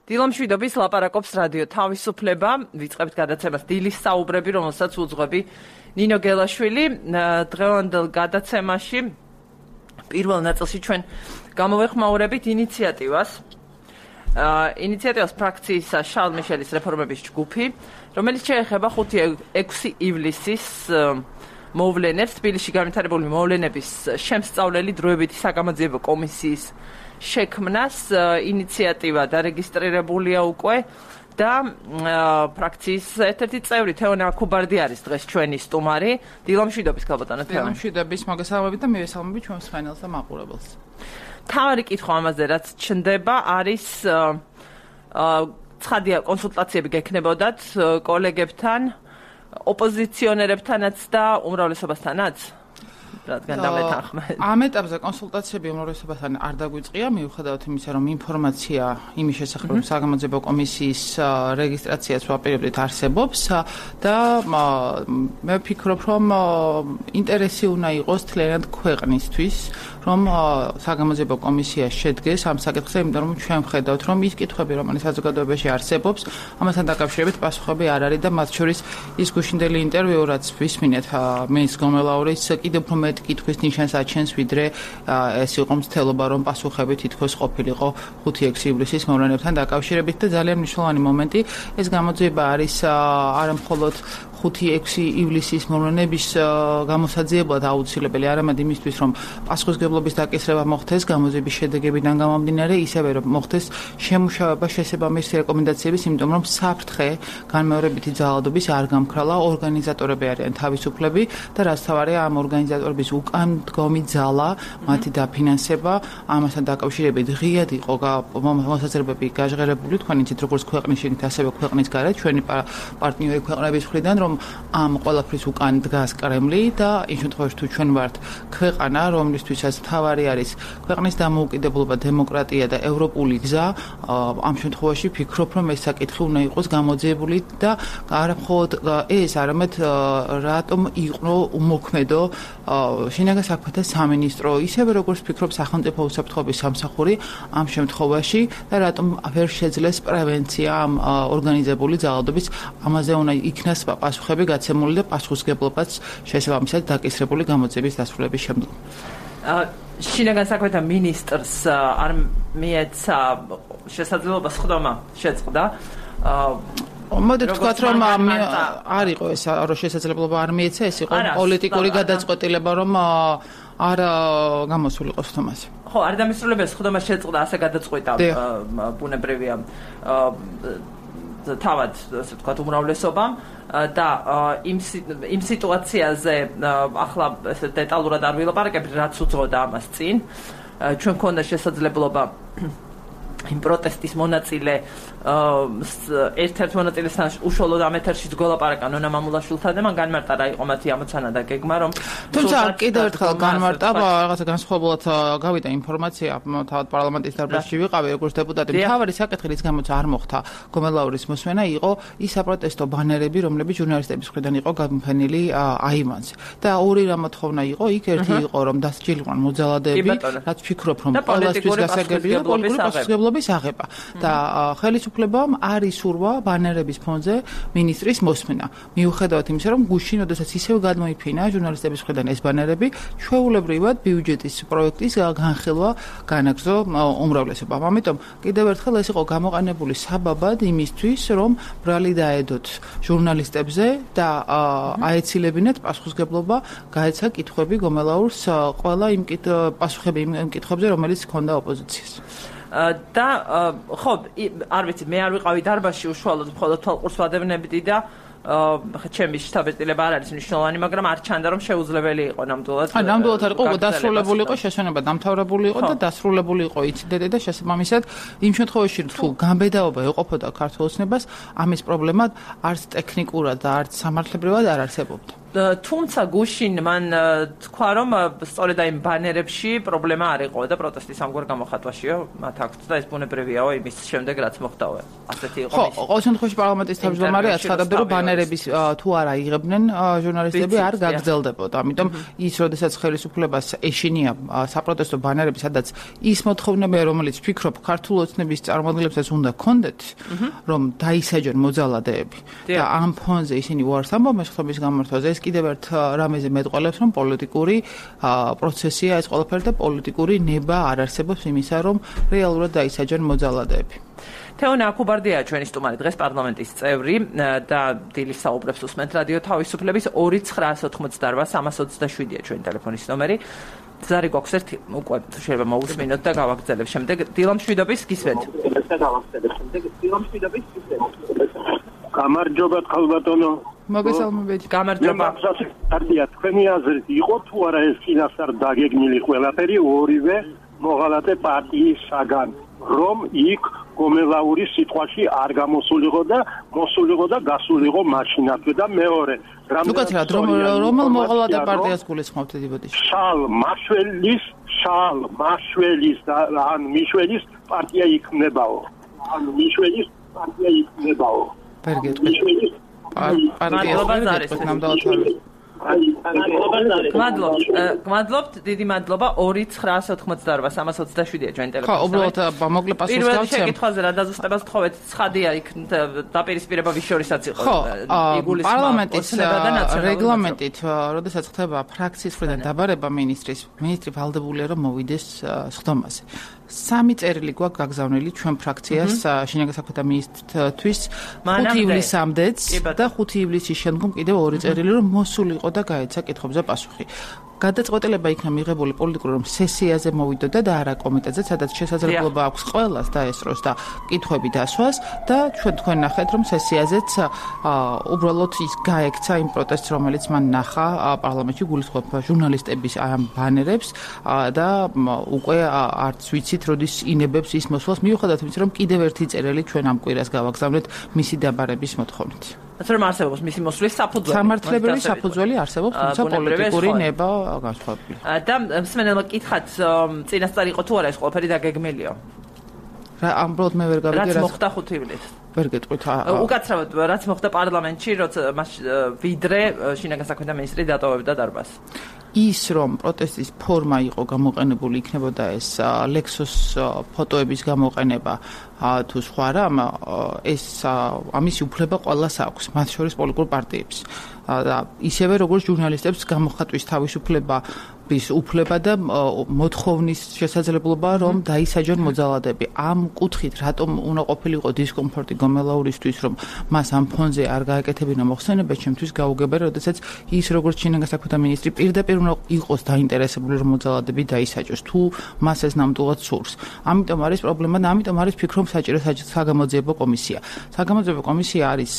დილამშვიდობის ლაპარაკობს რადიო თავისუფლება, ვიწყებთ გადაცემას დილის საუბრები, რომელსაც უძღვები ნინო გელაშვილი. დღევანდელ გადაცემაში პირველ ნაწილში ჩვენ გამოვეხმაურებით ინიციატივას ფრაქციის შარლ მიშელის რეფორმების ჯგუფი, რომელიც შეეხება 5-6 ივლისის მოვლენებს, თბილისში განვითარებული მოვლენების შემსწავლელი დროებითი საგამოძიებო კომისიის შექმნას. ინიციატივა დარეგისტრირებულია უკვე და ფრაქციის ერთ-ერთი წევრი თეონა აქუბარდი არის დღეს ჩვენი სტუმარი. დილამშვიდობის ქალბატონო თეონა. დილამშვიდობის, მოგესალმებით და მივესალმებით ჩვენს ხანელს და მაყურებელს. თავარი კითხვა ამაზე რაც ჩნდება არის ცხადია კონსულტაციები გექნებოდათ კოლეგებთან, ოპოზიციონერებთანაც და უმრავლესობასთანაც? რადგან დამეთანხმეთ. ამ ეტაპზე კონსულტაციები უმრავლესობასთან არ დაგვიწყია, მიუხედავად იმისა, რომ ინფორმაცია იმის შესახებ, რომ საგამოძიებო კომისიის რეგისტრაციაც ვაპირებდით არსებობს და მე ვფიქრობ, რომ ინტერესი უნდა იყოს თლიანად ქვეყნისთვის, რომ საგამოძიებო კომისია შედგეს ამ საკითხზე, იმიტომ რომ ჩვენ ვხედავთ, რომ ის კითხვები, რომელიც საზოგადოებაში არსებობს, ამასთან დაკავშირებით პასუხები არ არის და მათ შორის ის გუშინდელი ინტერვიუ, რაც ვისმინეთ მეის გომელაურის კიდევ უფრო მეტ კითხვის ნიშანს აჩენს, ვიდრე ეს იყო მცდელობა, რომ პასუხები თითქოს ყოფილიყო 5-6 ივლისის მოვლენებთან დაკავშირებით და ძალიან მნიშვნელოვანი მომენტი. ეს გამოძიება არის არა მხოლოდ 5-6 ივლისის მოვლენების გამოსაძიებლად აუცილებელი, არამედ იმისთვის, რომ პასუხისმგებლობის დაკისრება მოხდეს გამოძიების შედეგებიდან გამომდინარე, ისევე რომ მოხდეს შემუშავება შესაბამისი რეკომენდაციების, იმიტომ რომ საფრთხე განმეორებითი ძალადობის არ გამქრალა, ორგანიზატორები არიან თავისუფლები და რაც თავარია ამ ორგანიზატორების უკან დგომი ძალა, მათი დაფინანსება, ამასთან დაკავშირებით ღიად იყო მოსაზრებები გაჟღერებული, თქვენ იცით როგორც ქვეყნის შიგნით, ასევე ქვეყნის გარეთ, ჩვენი პარტნიორი ქვეყნების მხრიდან, რომ ამ ყველაფრის უკან დგას კრემლი და იმ შემთხვევაში თუ ჩვენ ვართ ქვეყანა, რომლისთვისაც თავარი არის ქვეყნის დამოუკიდებლობა, დემოკრატია და ევროპული გზა, ამ შემთხვევაში ვფიქრობ, რომ ეს საკითხი უნდა იყოს გამოძიებული და არა მხოლოდ ეს, არამედ რატომ იყო უმოქმედო შინაგან საქმეთა სამინისტრო, ისევე როგორც ვფიქრობ სახელმწიფო უსაფრთხოების სამსახური ამ შემთხვევაში და რატომ ვერ შეძლეს პრევენცია ამ ორგანიზებული ძალადობის, ამაზე უნდა იქნას პასუხები გაცემული და პასუხისმგებლობაც შესაბამისად დაკისრებული გამოძიების დასრულების შემდგომ. შინაგან საქმეთა მინისტრს არ მიეცა შესაძლებლობა სხდომა შეწყდა. მოდით ვთქვათ, რომ არ იყო ეს რომ შესაძლებლობა არ მიეცა, ეს იყო პოლიტიკური გადაწყვეტილება, რომ არ გამოსულიყო სხდომაზე. ხო, არ დამისრულებია სხდომა შეწყდა, ასე გადაწყვეტა ბუნებრივია თავად, ასე ვთქვათ, უმრავლესობამ და იმ სიტუაციაზე ახლა ესე დეტალურად არ ვილაპარაკებ, რაც უძღოდა ამას წინ. ჩვენ გქონდა შესაძლებლობა იმ პროტესტის მონაწილე ერთ-ერთ მონაწილესთან უშუალოდ ამ ეთერშიც გველაპარაკა ნონა მამულაშვილთან და მან განმარტა რა იყო მათი ამოცანა და გეგმა, რომ თუმცა კიდევ ერთხელ განმარტა, რაღაცა განსხვავებულად გავიდა ინფორმაცია, თავად პარლამენტის დარბაზში ვიყავი როგორც დეპუტატი. მთავარი საკითხი, რის გამოც არ მოხდა გომელაურის მოსმენა, იყო ის საპროტესტო ბანერები, რომლებიც ჟურნალისტების მხრიდან იყო გამოფენილი აივანზე. და ორი რამოთხოვნა იყო, იქ ერთი იყო, რომ დასჯილიყვან მოძალადეები, რაც ვფიქრობ, რომ ყველასთვის გასაგებია და პოლიტიკური პასუხისმგებლობის აღება. და ხელისუფლებამ არ ისურვა ბანერების ფონზე მინისტრის მოსმენა. მიუხედავად იმისა, რომ გუშინ, როდესაც ისევ გადმოიფინა ჟურნალისტების მხრიდან ეს ბანერები, ჩვეულებრივად ბიუჯეტის პროექტის განხილვა განაგრძო უმრავლესობამ. ამიტომ კიდევ ერთხელ ეს იყო გამოყენებული საბაბად იმისთვის, რომ ბრალი დაედოთ ჟურნალისტებზე და აეცილებინათ პასუხისმგებლობა, გაეცა კითხვები გომელაურს ყველა იმ პასუხები იმ კითხვებზე, რომელიც ჰქონდა ოპოზიციას. და ხო, არ ვიცი, მე არ ვიყავი დარბაზში უშუალოდ, მხოლოდ თვალყურს ვადევნებდი და ჩემი შთაბეჭდილება არ არის მნიშვნელოვანი, მაგრამ არ ჩანდა, რომ შეუძლებელი იყო ნამდვილად. ნამდვილად არ იყო, დასრულებული იყო, შესვენება დამთავრებული იყო და დასრულებული იყო ინციდენტი და შესაბამისად იმ შემთხვევაში, თუ გამბედაობა ეყოფოდა ქართულ ოცნებას, ამის პრობლემა არც ტექნიკურად და არც სამართლებრივად არ არსებობდა. თუმცა გუშინ მან თქვა რომ სწორედ აი ბანერებში პრობლემა არ იყო და პროტესტის ამგვარ გამოხატვაშიო მათ აქვთ და ეს ბუნებრივიაო იმის შემდეგ რაც მოხდაო ასეთი იყო ხო ყოველ შემთხვევაში პარლამენტის თავმჯდომარე აცხადებდა რომ ბანერების თუ არ აიღებდნენ ჟურნალისტები არ გაგრძელდებოდა ამიტომ ის როდესაც ხელისუფლებას ეშინია საპროტესტო ბანერები სადაც ის მოთხოვნებია რომელიც ფიქრობ ქართულ ოცნების წარმომადგენლებსაც უნდა კონდეთ რომ დაისაჯონ მოძალადეები და ამ ფონზე ისინი უარს ამბობენ შეხების გამართვაზე ეს კიდევ ერთ რამეზე მეტყველებს რომ პოლიტიკური პროცესია ეს ყველაფერი და პოლიტიკური ნება არ არსებობს იმისა რომ რეალურად დაისაჯონ მოძალადეები თეონა აკუბარდია ჩვენი სტუმარი დღეს პარლამენტის წევრი და დილის საუბრებს უსმენთ რადიო თავისუფლების 2988327-ია ჩვენი ტელეფონის ნომერი ზარი გვაქვს ერთი უკვე შეიძლება მოусმინოთ და გავაგრძელებ შემდეგ დილამშვიდობის გისმენთ გამარჯობა ხალბატონო მოგესალმებით გამარჯობა პარტია თქვენი აზრით იყო თუ არა ეს წინასწარ დაგეგმილი ყველაფერი ორივე მოღალატე პარტიისაგან რომ იქ გომელაურის სიტყვაში არ გამოსულიყო და მოსულიყო და გასულიყო მაშინათვე და მეორე უკაცრად რომელ მოღალატე პარტიას გულისხმობთ დებოდიშ შალ მაშველის და ან მიშველის პარტია იქნებაო პარგეთ მადლობთ დიდი მადლობა 2988327-ია ჩვენ ტელეფონი. ხო, უბრალოდ მოკლე პასუხს გავცემ. შეკითხვაზე რა დაზუსტებას თხოვეთ, ცხადია იქ დაპირისპირება ვის შორისაც იყო. პარლამენტის რეგლამენტით, როდესაც ხდება ფრაქციის მხრიდან დაბარება მინისტრი ვალდებულია რომ მოვიდეს სხდომაზე. 3 წერილი გვაქვს გაგზავნილი ჩვენ ფრაქციას შინაგან საქმეთა მინისტრთვის 5 ივლისამდეც და 5 ივლისის შემდგომ კიდევ 2 წერილი რომ მოსულიყო და გაეცა კითხვებზე პასუხი. გადაწყვეტილება იქნა მიღებული პოლიტიკურ რომ სესიაზე მოვიდოდა და არა კომიტეტზე, სადაც შესაძლებლობა აქვს ყველას დაესწროს და კითხვები დასვას და თქვენ ნახეთ რომ სესიაზეც უბრალოდ ის გაექცა იმ პროტესტს რომელიც მან ნახა პარლამენტში გულისხმობ ჟურნალისტების ამ ბანერებს და უკვე არც ვიცით როდის ინებებს ის მოსვლას მიუხედავად იმისა რომ კიდევ ერთი წერილი ჩვენ ამ კვირას გავაგზავნეთ მისი დაბარების მოთხოვნით. რომ არსებობს მისი მოსვლის საფუძველი. სამართლებრივი საფუძველი არსებობს, თუმცა პოლიტიკური ნება განსხვავებულია. და მსმენელმა კითხათ, წინასწარ იყო თუ არა ეს ყველაფერი დაგეგმილიო? რა ამბროდ მე ვერ გავიგე რაც მოხდა 5 ივლისს. ვერ გეტყვით. უკაცრავად რაც მოხდა პარლამენტში, როცა ვიდრე შინაგან საქმეთა მინისტრი დატოვებდა დარბაზს. ის რომ პროტესტის ფორმა იყო გამოყენებული იქნებოდა ეს ლექსოს ფოტოების გამოყენება თუ სხვა რამ ეს ამისი უფლება ყველას აქვს მათ შორის პოლიტიკურ პარტიებს და ისევე როგორც ჟურნალისტებს გამოხატვის თავისუფლება უფლება და მოთხოვნის შესაძლებლობა რომ დაისაჯონ მოძალადეები ამ კუთხით რატომ უნდა ყოფილიყო დისკომფორტი გომელაურისთვის რომ მას ამ ფონზე არ გააკეთებინა მოხსენება ჩემთვის გაუგებარი როდესაც ის როგორც შინაგან საქმეთა მინისტრი პირდაპირ უნდა იყოს დაინტერესებული რომ მოძალადეები დაისაჯოს თუ მას ეს ნამდვილად სურს ამიტომ არის პრობლემა და ამიტომ არის ფიქრობ საჭირო საგამოძიებო კომისია საგამოძიებო კომისია არის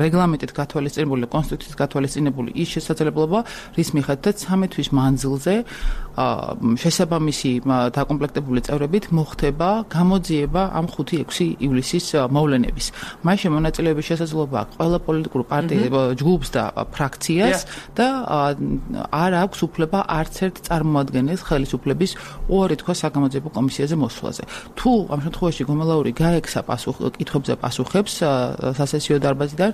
რეგლამენტით გათვალისწინებული კონსტიტუციით გათვალისწინებული ის შესაძლებლობა რის მიხედვითაც 13 თვის მანძილზე შესაბამისი დაკომპლექტებული წევრებით მოხდება გამოძიება ამ 5-6 ივლისის მოვლენების. მაშინ მონაწილეობის შესაძლებლობა აქვს ყველა პოლიტიკურ პარტიას, ჯგუფს და ფრაქციას და არ აქვს უფლება არც ერთ წარმოადგენელს ხელისუფლების უარი თქვა საგამოძიებო კომისიაზე მოსვლაზე. თუ ამ შემთხვევაში გომელაური გაექცა კითხვებზე პასუხებს სასესიო დარბაზიდან,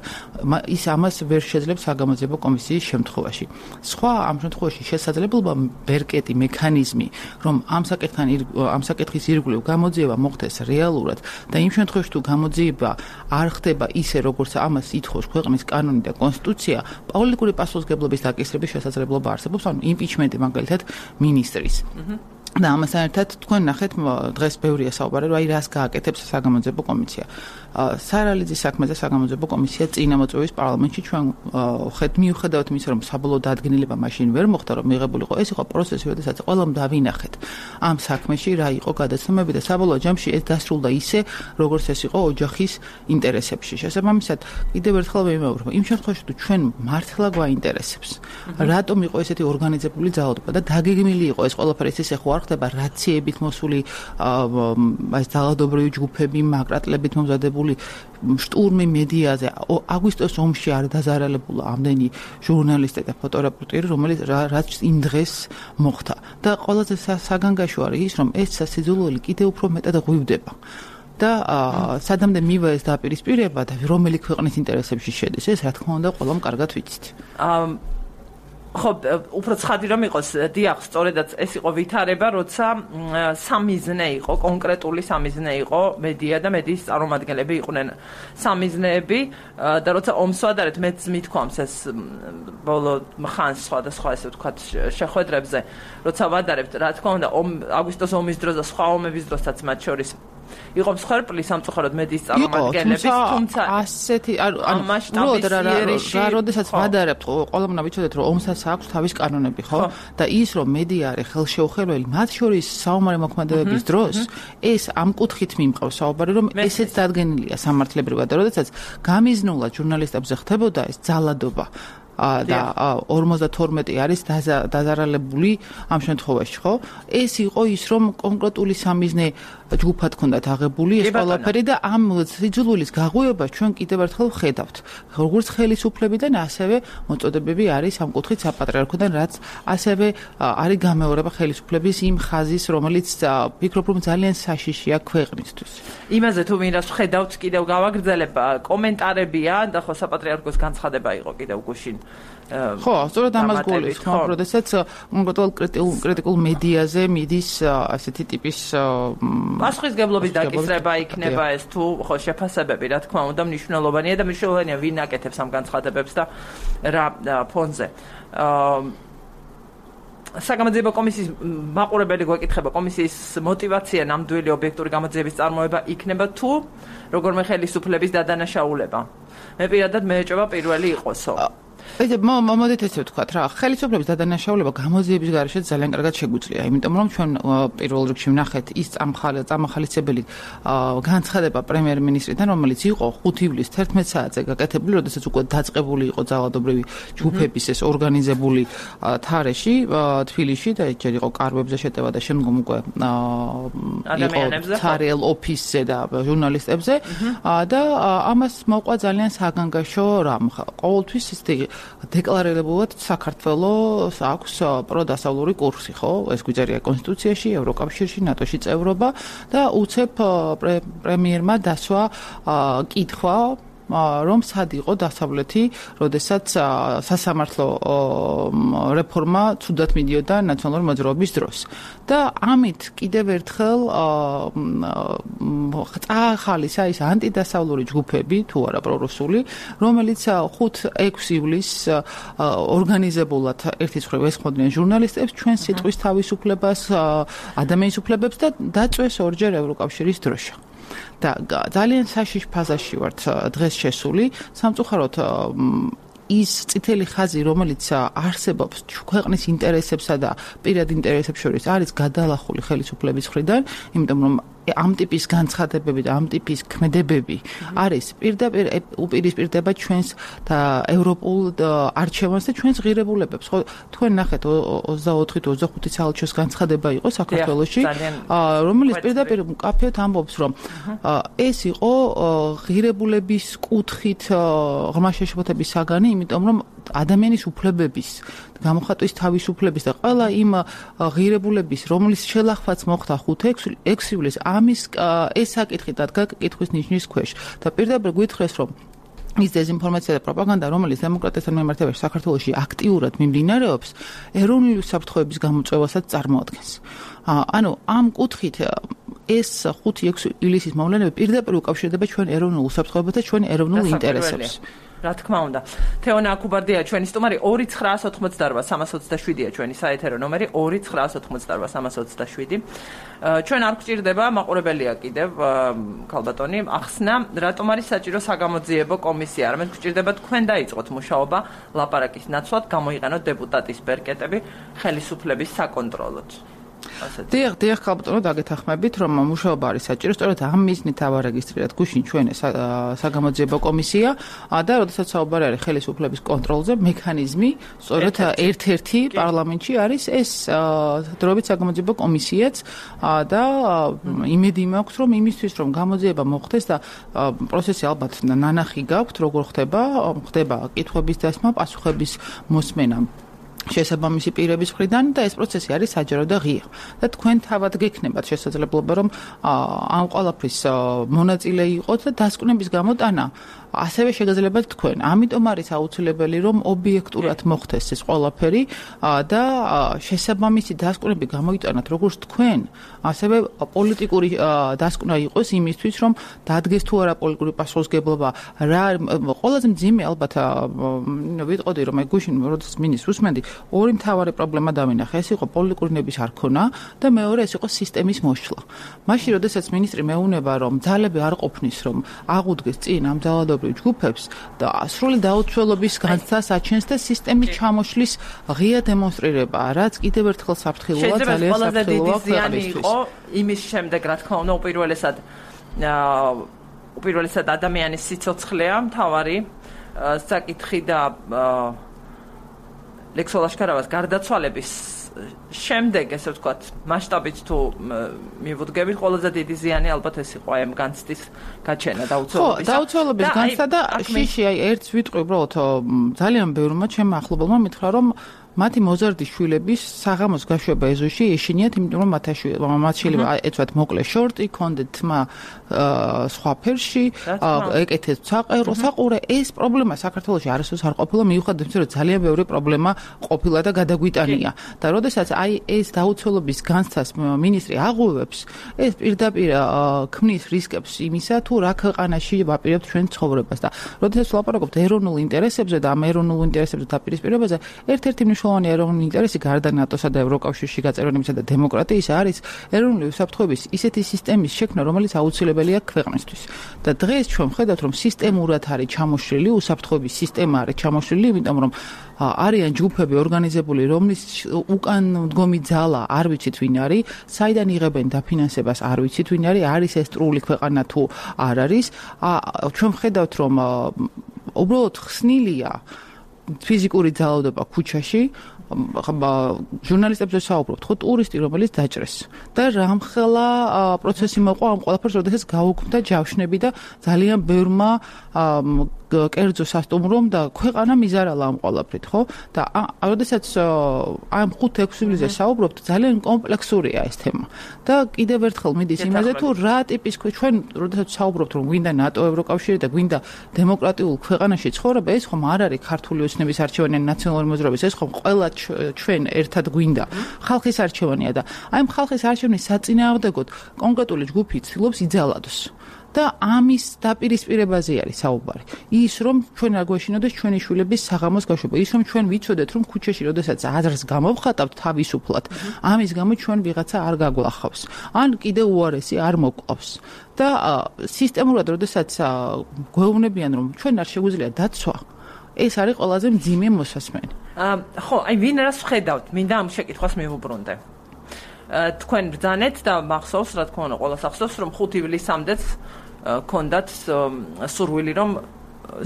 ის ამას ვერ შეძლებს საგამოძიებო კომისიის შემთხვევაში. სხვა ამ შემთხვევაში შესაძლებლობა ბერკეტი მექანიზმი, რომ ამ საკითხის ირგვლივ გამოძიება მოხდეს რეალურად და იმ შემთხვევაში თუ გამოძიება არ ხდება ისე როგორც ამას ითხოვს ქვეყნის კანონი და კონსტიტუცია, პოლიტიკური პასუხისმგებლობის დაკისრების შესაძლებლობა არსებობს, ანუ იმპიჩმენტი მაგალითად მინისტრის. და ამასთან ერთად თქვენ ნახეთ დღეს ბევრია საუბარი, რომ აი რას გააკეთებს საგამოძიებო კომისია. სარალიძის საქმეზე საგამოძიებო კომისია წინამოწვევის პარლამენტში ჩვენ მიუხედავად იმისა, რომ საბოლოო დადგენილება მაშინ ვერ მოხდა, რომ მიღებულიყო, ეს იყო პროცესი, როდესაც ყველამ დავინახეთ ამ საქმეში რა იყო გადაცემები და საბოლოო ჯამში ეს დასრულდა ისე, როგორც ეს იყო ოჯახის ინტერესებში. შესაბამისად, კიდევ ერთხელ ვიმეორებ, იმ შემთხვევაში თუ ჩვენ მართლა გვაინტერესებს, რატომ იყო ესეთი ორგანიზებული ძალადობა და დაგეგმილი იყო ეს ყველაფერი ისე ხო არ არ ხდება რაციებით მოსული აი ძალადობრივი ჯგუფები, მაგრატლებით მომზადებული შტურმი მედიაზე. აგვისტოს ომში არ დაზარალებულა ამდენი ჟურნალისტი და ფოტორეპორტირი, რომელიც რაც იმ დღეს მოხდა. და ყველაზე საგანგაშო არის ის, რომ ეს სასიძულველი კიდევ უფრო მეტად ღვივდება. და სადამდე მივა ეს დაპირისპირება და რომელი ქვეყნის ინტერესებში შედის, ეს რა თქმა უნდა ყველამ კარგად ვიცით. ხო, უფრო ცხადი რომ იყოს, დიახ, სწორედაც ეს იყო ვითარება, როცა სამიზნე იყო, კონკრეტული სამიზნე იყო მედია და მედიის წარმომადგენლები იყვნენ სამიზნეები და როცა ომს ვადარებთ, მეც მithქვამს ეს ბოლო ხანს სხვადასხვა ესე ვთქვათ შეხვედრებზე, როცა ვადარებთ, რა თქმა უნდა, აგვისტოს ომის დროს და სხვა ომების დროსაც მათ შორის იყო მსხვერპლი სამწუხაროდ მედიის წარმომადგენლების, თუმცა ასეთი უბრალოდ რა როდესაც ვადარებთ, ყველამ უნდა ვიცოდეთ, რომ ომსაც აქვს თავის კანონები, ხო? და ის რომ მედია არის ხელშეუხებელი, მათ შორის საომარი მოქმედებების დროს, ეს ამ კუთხით მიმყავს საუბარი, რომ ესეც დადგენილია სამართლებრივად, და როდესაც გამიზნულად ჟურნალისტებზე ხდებოდა ეს ძალადობა და 52 არის დაზარალებული ამ შემთხვევაში, ხო? ეს იყო ის, რომ კონკრეტული სამიზნე ჯგუფად ჰქონდათ აღებული ეს ყველაფერი და ამ სიძულვილის გაღვივებას ჩვენ კიდევ ერთხელ ვხედავთ. როგორც ხელისუფლებიდან, ასევე მოწოდებები არის ამ კუთხით საპატრიარქოდან, რაც ასევე არის გამეორება ხელისუფლების იმ ხაზის, რომელიც ვფიქრობ, რომ ძალიან საშიშია ქვეყნისთვის. იმაზე თუ მინდა ვხედავთ, კიდევ გავაგრძელებ, კომენტარებია და ხო საპატრიარქოს განცხადება იყო კიდევ გუშინ. ხო, სწორედ ამას გულისხმობ, ხო, როდესაც კონკრეტულ კრიტიკულ მედიაზე მიდის ასეთი ტიპის პასუხისგებლობის დაკისრება იქნება ეს თუ ხო შეფასებები, რა თქმა უნდა, მნიშვნელოვანია და მნიშვნელოვანია ვინ აკეთებს ამ განცხადებებს და რა ფონზე. საგამოძიებო კომისიის მაყურებელი გვეკითხება, კომისიის მოტივაცია ნამდვილი ობიექტური გამოძიების წარმოება იქნება თუ როგორმე ხელისუფლების დადანაშაულება. მე პირადად მეეჭობა პირველი იყოსო. მოდით ესე ვთქვათ რა, ხელისუფლების დადანაშაულება გამოძიების გარეშე ძალიან კარგად შეგვიძლია, იმიტომ რომ ჩვენ პირველ რიგში ვნახეთ ის წამახალისებელი განცხადება პრემიერ-მინისტრიდან, რომელიც იყო 5 ივლისს 11 საათზე გაკეთებული, როდესაც უკვე დაწყებული იყო ძალადობრივი ჯგუფების ეს ორგანიზებული თარეში, თბილისში და ჯერ იყო კარვებზე შეტევა და შემდგომ უკვე იყო ცარიელ ოფისზე და ჟურნალისტებზე და ამას მოყვა ძალიან საგანგაშო რამ. ყოველთვის ის დეკლარირებულად საქართველოს აქვს პროდასავლური კურსი, ხო? ეს გვიწერია კონსტიტუციაში, ევროკავშირში, ნატოში წევრობა და უცებ პრემიერმა დასვა კითხვა რომ სად იყო დასავლეთი, როდესაც სასამართლო რეფორმა ცუდად მიდიოდა ნაციონალური მოძრაობის დროს. და ამით კიდევ ერთხელ წაახალისა ის ანტიდასავლური ჯგუფები, თუ არა პრორუსული, რომელიც 5-6 ივლისს ორგანიზებულად ერთის მხრივ ესხმოდნენ ჟურნალისტებს, ჩვენ სიტყვის თავისუფლებას, ადამიანის უფლებებს და დაწვეს ორჯერ ევროკავშირის დროშა. და ძალიან საშიშ ფაზაში ვართ დღეს შესული, სამწუხაროდ ის წითელი ხაზი, რომელიც არსებობს ქვეყნის ინტერესებსა და პირად ინტერესებს შორის, არის გადალახული ხელისუფლების მხრიდან, იმიტომ რომ ამ ტიპის განცხადებები და ამ ტიპის ქმედებები არის პირდაპირ უპირისპირდება ჩვენს და ევროპულ არჩევანს და ჩვენს ღირებულებებს. ხო, თქვენ ნახეთ 24-25 საალჩოს განცხადება იყო საქართველოში, რომელიც პირდაპირ მკაფიოდ ამბობს, რომ ეს იყო ღირებულების კუთხით ღრმა შეშფოთების საგანი, იმიტომ რომ ადამიანის უფლებების გამოხატვის თავისუფლების და ყველა იმ ღირებულების, რომლის შელახვაც მოხდა 5-6 ივლისს, ამის ეს საკითხი დადგა კითხვის ნიშნის ქვეშ. და პირდაპირ გითხრეს, რომ ის დეზინფორმაცია და პროპაგანდა, რომელიც დემოკრატიასთან მიმართებაში საქართველოში აქტიურად მიმდინარეობს, ეროვნული უსაფრთხოების გამოწვევასაც წარმოადგენს. ანუ ამ კუთხით ეს 5-6 ივლისის მოვლენები პირდაპირ უკავშირდება ჩვენ ეროვნულ უსაფრთხოებას და ჩვენ ეროვნულ ინტერესებს. რა თქმა უნდა. თეონა აკუბარდია ჩვენი სტუმარი 2988327-ია ჩვენი საეთერო ნომერი 2988327. ჩვენ არ გვჭირდება მაყურებელია კიდევ ქალბატონი ახსნა, რატომ არის საჭირო საგამოძიებო კომისია? არამედ გვჭირდება თქვენ დაიწყოთ მუშაობა ლაპარაკის ნაცვლად, გამოიყენოთ დეპუტატის ბერკეტები ხელისუფლების საკონტროლოდ. დიახ, ხალბატონო, დაგეთანხმებით, რომ მუშაობა არის საჭირო, სწორედ ამ მიზნით ავარეგისტრირეთ გუშინ ჩვენ საგამოძიებო კომისია და როდესაც საუბარი არის ხელისუფლების კონტროლზე, მექანიზმი, სწორედ ერთ-ერთი პარლამენტში არის ეს დროებით საგამოძიებო კომისიაც და იმედი მაქვს, რომ იმისთვის, რომ გამოძიება მოხდეს და პროცესი ალბათ ნანახი გაქვთ, როგორ ხდება კითხვების დასმა, პასუხების მოსმენა შესაბამისი პირების მხრიდან და ეს პროცესი არის საჯარო და ღია. და თქვენ თავად გექნებათ შესაძლებლობა, რომ ამ ყველაფრის მონაწილე იყოთ და დასკვნების გამოტანა ასევე შეგიძლიათ თქვენ. ამიტომ არის აუცილებელი, რომ ობიექტურად მოხდეს ეს ყველაფერი და შესაბამისი დასკვნები გამოიტანოთ როგორც თქვენ, ასევე პოლიტიკური დასკვნა იყოს იმისთვის, რომ დადგეს თუ არა პოლიტიკური პასუხისმგებლობა. ყველაზე მძიმე ალბათ ვიტყოდი, რომ გუშინ როდესაც მინისტრს უსმენდი, ორი მთავარი პრობლემა დავინახე. ეს იყო პოლიტიკური ნების არ ქონა და მეორე ეს იყო სისტემის მოშლა. მაშინ როდესაც მინისტრი მეუნება, რომ ძალები არ ყოფნის, რომ აღუდგეს წინ ამ ძალადობრივ ჯგუფებს და სრული დაუცველობის განცდას აჩენს და სისტემის ჩამოშლის ღია დემონსტრირება, რაც კიდევ ერთხელ საფრთხილოა, ძალიან საფრთხილოა ქვეყნისთვის. იმის შემდეგ, რა თქმა უნდა, უპირველესად ადამიანის სიცოცხლეა მთავარი საკითხი და ლექსოლ აშკარავას გარდაცვალების შემდეგ, ესე ვთქვათ, მასშტაბით თუ მივუდგებით, ყველაზე დიდი ზიანი ალბათ ეს იყო ამ განცდის გაჩენა დაუცველობის. ხო, დაუცველობის განცდა და შიში, ერთს ვიტყვი უბრალოდ ძალიან ბევრმა ჩემმა ახლობელმა მითხრა, რომ მათი მოზარდი შვილების საღამოს გაშვება ეზოში ეშინიათ, იმიტომ რომ მათ შეიძლება ეცვათ მოკლე შორტი, კონდეთ თმა სხვა ფერში, ეკეთეს საყურე. ეს პრობლემა საქართველოში არასდროს არ ყოფილა, მიუხედავად იმისა, რომ ძალიან ბევრი პრობლემა ყოფილა და გადაგვიტანია. და როდესაც ეს დაუცველობის განცდას მინისტრი აღუევებს, ეს პირდაპირ ქმნის რისკებს იმისა, თუ რა ქვეყანაში ვაპირებთ ჩვენ ცხოვრებას. და როდესაც ვლაპარაკობთ ეროვნულ ინტერესებზე და ამ ეროვნულ ინტერესებზე დაპირისპირებაზე, ერთ-ერთი მნიშვნელოვანი ეროვნული ინტერესი გარდა ნატოსა და ევროკავშირში გაწევრიანებისა და დემოკრატიისა არის ეროვნული უსაფრთხოების ისეთი სისტემის შექმნა, რომელიც აუცილებელია ქვეყნისთვის. და დღეს ჩვენ ვხედავთ, რომ სისტემურად არის ჩამოშლილი, უსაფრთხოების სისტემა არის ჩამოშლილი, იმიტომ რომ არიან ჯგუფები ორგანიზებული, რომლის უკან მდგომი ძალა არ ვიცით ვინ არის, საიდან იღებენ დაფინანსებას არ ვიცით ვინ არის ეს ტრული ქვეყანა თუ არ არის. ჩვენ ვხედავთ, რომ უბრალოდ ხსნილია ფიზიკური ძალადობა ქუჩაში, ჟურნალისტებზე საუბრობთ, ხო, ტურისტი, რომელიც დაჭრეს. და რამხელა პროცესი მოყვა ამ ყველაფერს, როდესაც გაუქმდა ჯავშნები და ძალიან ბევრმა კერძო სასტუმრომ და ქვეყანა მიზარალა ამ ყველაფრით, ხო? და როდესაც ამ 5-6 ივლისზე საუბრობთ, ძალიან კომპლექსურია ეს თემა. და კიდევ ერთხელ მიდის იმაზე, თუ რა ტიპის ჩვენ როდესაც საუბრობთ, რომ გვინდა ნატო, ევროკავშირი და გვინდა დემოკრატიულ ქვეყანაში ცხოვრება, ეს ხომ არ არის ქართული ოცნების არჩევანი, ნაციონალური მოძრაობის, ეს ხომ ყველა ჩვენ ერთად გვინდა ხალხის არჩევანია და აი ხალხის არჩევნის საწინააღმდეგოდ კონკრეტული ჯგუფი ცდილობს იძალადოს. და ამის დაპირისპირებაზე არის საუბარი. ის რომ ჩვენ არ გვეშინოდეს ჩვენი შვილების საღამოს გაშვება, ის რომ ჩვენ ვიცოდეთ რომ ქუჩაში როდესაც აზრს გამოვხატავთ თავისუფლად, ამის გამო ჩვენ ვიღაცა არ გაგვახავს. ან კიდე უარესი არ მოკლავს. და სისტემურად როდესაც გვეუბნებიან რომ ჩვენ არ შეგვიძლია დაცვა, ეს არის ყველაზე მძიმე მოსასმენი. ხო, აი ვინ რას ვხედავთ? მინდა ამ შეკითხვას მივუბრუნდე. თქვენ ბრძანეთ და მახსოვს, რა თქმა უნდა, ყველას ახსოვს, რომ 5 ივლისამდეც ქონდათ სურვილი, რომ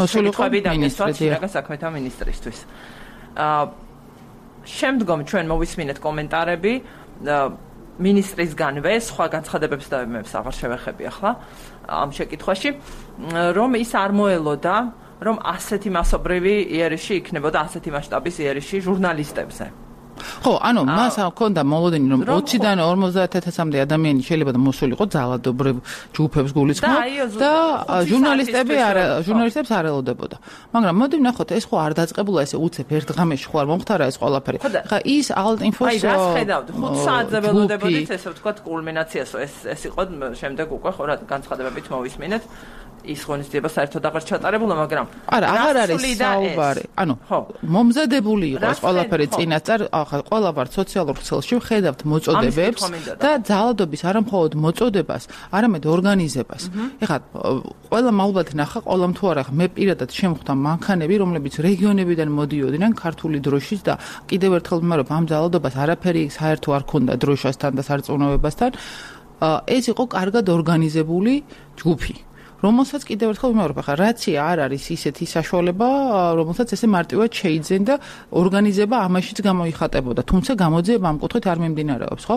შეკითხვები დაგესვათ შინაგან საქმეთა მინისტრისთვის. შემდგომ ჩვენ მოვისმინეთ კომენტარები მინისტრისგანვე, სხვა განცხადებებს და მებს აღარ შევეხები ახლა ამ შეკითხვაში, რომ ის არ მოელოდა, რომ ასეთი მასობრივი იერიში იქნებოდა, ასეთი მასშტაბის იერიში ჟურნალისტებზე. ხო, ანუ მას ჰქონდა მოლოდინი, რომ 20-დან 50,000-მდე ადამიანი შეიძლება და მოსულიყო ძალადობრივ ჯგუფებს გულისხმობ და ჟურნალისტებს არ ელოდებოდა. მაგრამ მოდი ვნახოთ, ეს ხო არ დაწყებულა ესე უცებ ერთ ღამეში ხო არ მომხდარა ეს ყველაფერი. ხა ის ალტ-ინფოს აი რას ხედავთ? 5 საათზე ველოდებოდით, ესე ვთქვათ, კულმინაციასო ეს იყო შემდეგ უკვე ხო რა განცხადებებით მოვისმინეთ. ის ღონისძიება საერთოდ აღარ ჩატარებულა, მაგრამ არა, აღარ არის საუბარი. ანუ მომზადებული იყოს ყველაფერი წინასწარ, ახლა ყველა ვარ სოციალურ ქსელში ვხედავთ მოწოდებებს და ძალადობის არამხოლოდ მოწოდებას, არამედ ორგანიზებას. ეხლა ყველა ალბათ ნახა, ყველამ თუ არა, მე პირადად შემხვდა მანქანები, რომლებიც რეგიონებიდან მოდიოდნენ ქართული დროშის და კიდევ ერთხელ ვიმარებ, ამ ძალადობას არაფერი საერთო არ ქონდა დროშასთან და სარწმუნოებასთან. ეს იყო კარგად ორგანიზებული ჯგუფი. რომელსაც კიდევ ერთხელ ვიმეორებ, ახლა რაცია არ არის ისეთი საშუალება, რომელსაც ესე მარტივად შეიძენ და ორგანიზება ამაშიც გამოიხატებოდა, თუმცა გამოძიება ამ კუთხით არ მიმდინარეობს, ხო?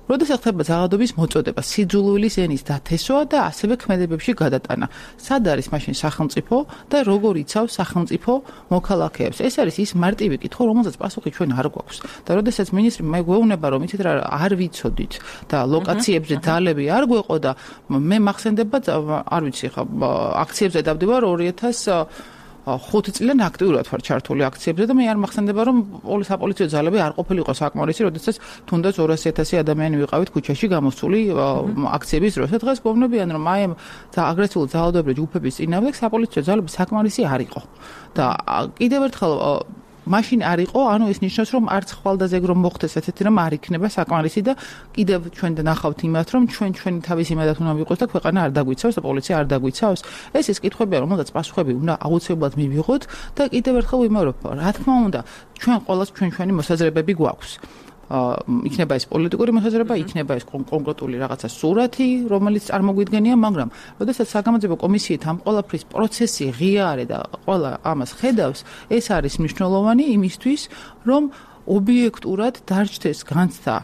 როდესაც ხდება ძალადობის მოწოდება, სიძულვილის ენის დათესვა და ასევე ქმედებებში გადატანა. სად არის მაშინ სახელმწიფო და როგორ იცავს სახელმწიფო მოქალაქეებს? ეს არის ის მარტივი კითხვა, რომელსაც პასუხი ჩვენ არ გვაქვს. და როდესაც მინისტრი მე გვეუბნება, რომ იცით რა არ ვიცოდით და ლოკაციებზე ძალები არ გვეყო და მე მახსენდება, არ ვიცი ხა, აქციებზე დავდივარ 2005 წლიდან აქტიურად ვარ ჩართული აქციებზე და მე არ მახსენდება, რომ საპოლიციო ძალები არ ყოფილიყო საკმარისი, როდესაც თუნდაც 200,000 ადამიანი ვიყავით ქუჩაში გამოსული აქციების დროს. დღეს გვეუბნებიან, რომ აი აგრესიული ძალადობრივი ჯგუფების წინააღმდეგ საპოლიციო ძალები საკმარისი არ იყო. და კიდევ ერთხელ მაშინ არ იყო, ანუ ეს ნიშნავს, რომ არც ხვალდაზე რომ მოხდეს ესეთი რამ არ იქნება საკმარისი და კიდევ ჩვენ ნახავთ იმას, რომ ჩვენი თავის იმედად უნდა ვიყოს და ქვეყანა არ დაგვიცავს და პოლიცია არ დაგვიცავს. ეს კითხვებია, რომელსაც პასუხები უნდა აუცილებლად მივიღოთ და კიდევ ერთხელ ვიმეორებ, რა თქმა უნდა, ჩვენ ყოველას ჩვენი მოსაზრებები გვაქვს. იქნება ეს პოლიტიკური მოსაზრება, იქნება ეს კონკრეტული რაღაცა სურათი, რომელიც წარმოგვიდგენია, მაგრამ როდესაც საგამოძიებო კომისიით ამ ყველაფრის პროცესი ღია არის და ყველა ამას ხედავს, ეს არის მნიშვნელოვანი იმისთვის, რომ ობიექტურად დარჩეს განცდა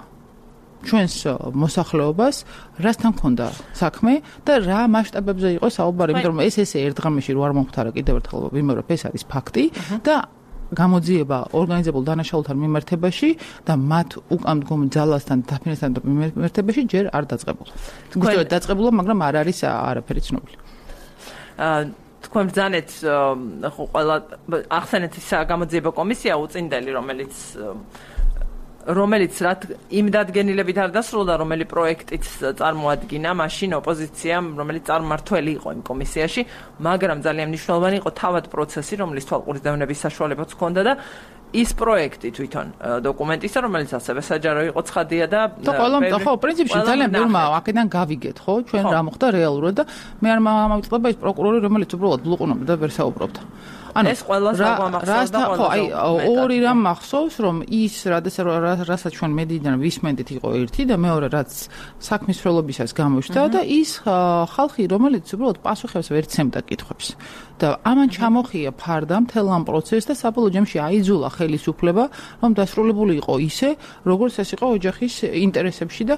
ჩვენს მოსახლეობას, რასთან ქონდა საქმე და რა მასშტაბებზე იყო საუბარი, იმიტომ რომ ეს ესე ერთ ღამეში რო არ მომხდარა, კიდევ ერთხელ ვიმეორებ, ეს არის ფაქტი და გამოძიება ორგანიზებულ დანაშაულთან მიმართებაში და მათ უკამდგომ ძალასთან დაფინანსთან მიმართებაში ჯერ არ დაწყებულა. გუშინ დაწყებულა, მაგრამ არ არის არაფერი ცნობილი. თქვენ ბრძანეთ ყველა ახსენეთ ის გამოძიება კომისია უწინდელი, რომელიც იმ დადგენილებით არ დასრულდა, რომელი პროექტიც წარმოადგინა მაშინ ოპოზიციამ, რომელიც წარმმართველი იყო იმ კომისიაში, მაგრამ ძალიან მნიშვნელოვანი იყო თავად პროცესი, რომლის თვალყურის დევნების საშუალებაც ჰქონდა და ის პროექტი თვითონ დოკუმენტისა, რომელიც ასევე საჯარო იყო ცხადია და ხო, პრინციპში ძალიან ბევრმა აქედან გავიგეთ, ხო, ჩვენ რა მოხდა რეალურად და მე არ მომწყვება ის პროკურორი, რომელიც უბრალოდ ბლუყუნობდა და ვერ საუბრობდა. ეს ყველას აღმახსოვს და ორი რამ მახსოვს, რომ ის რასაც ჩვენ მედიიდან ვისმენდით იყო ერთი და მეორე რაც საქმის მსვლელობისას გამოჩნდა და ის ხალხი, რომელიც უბრალოდ პასუხებს ვერ ცემდა კითხვებს. და ამან ჩამოხია ფარდა მთელ ამ პროცესს და საბოლოო ჯამში აიძულა ხელისუფლება, რომ დასრულებული იყო ისე, როგორც ეს იყო ოჯახის ინტერესებში და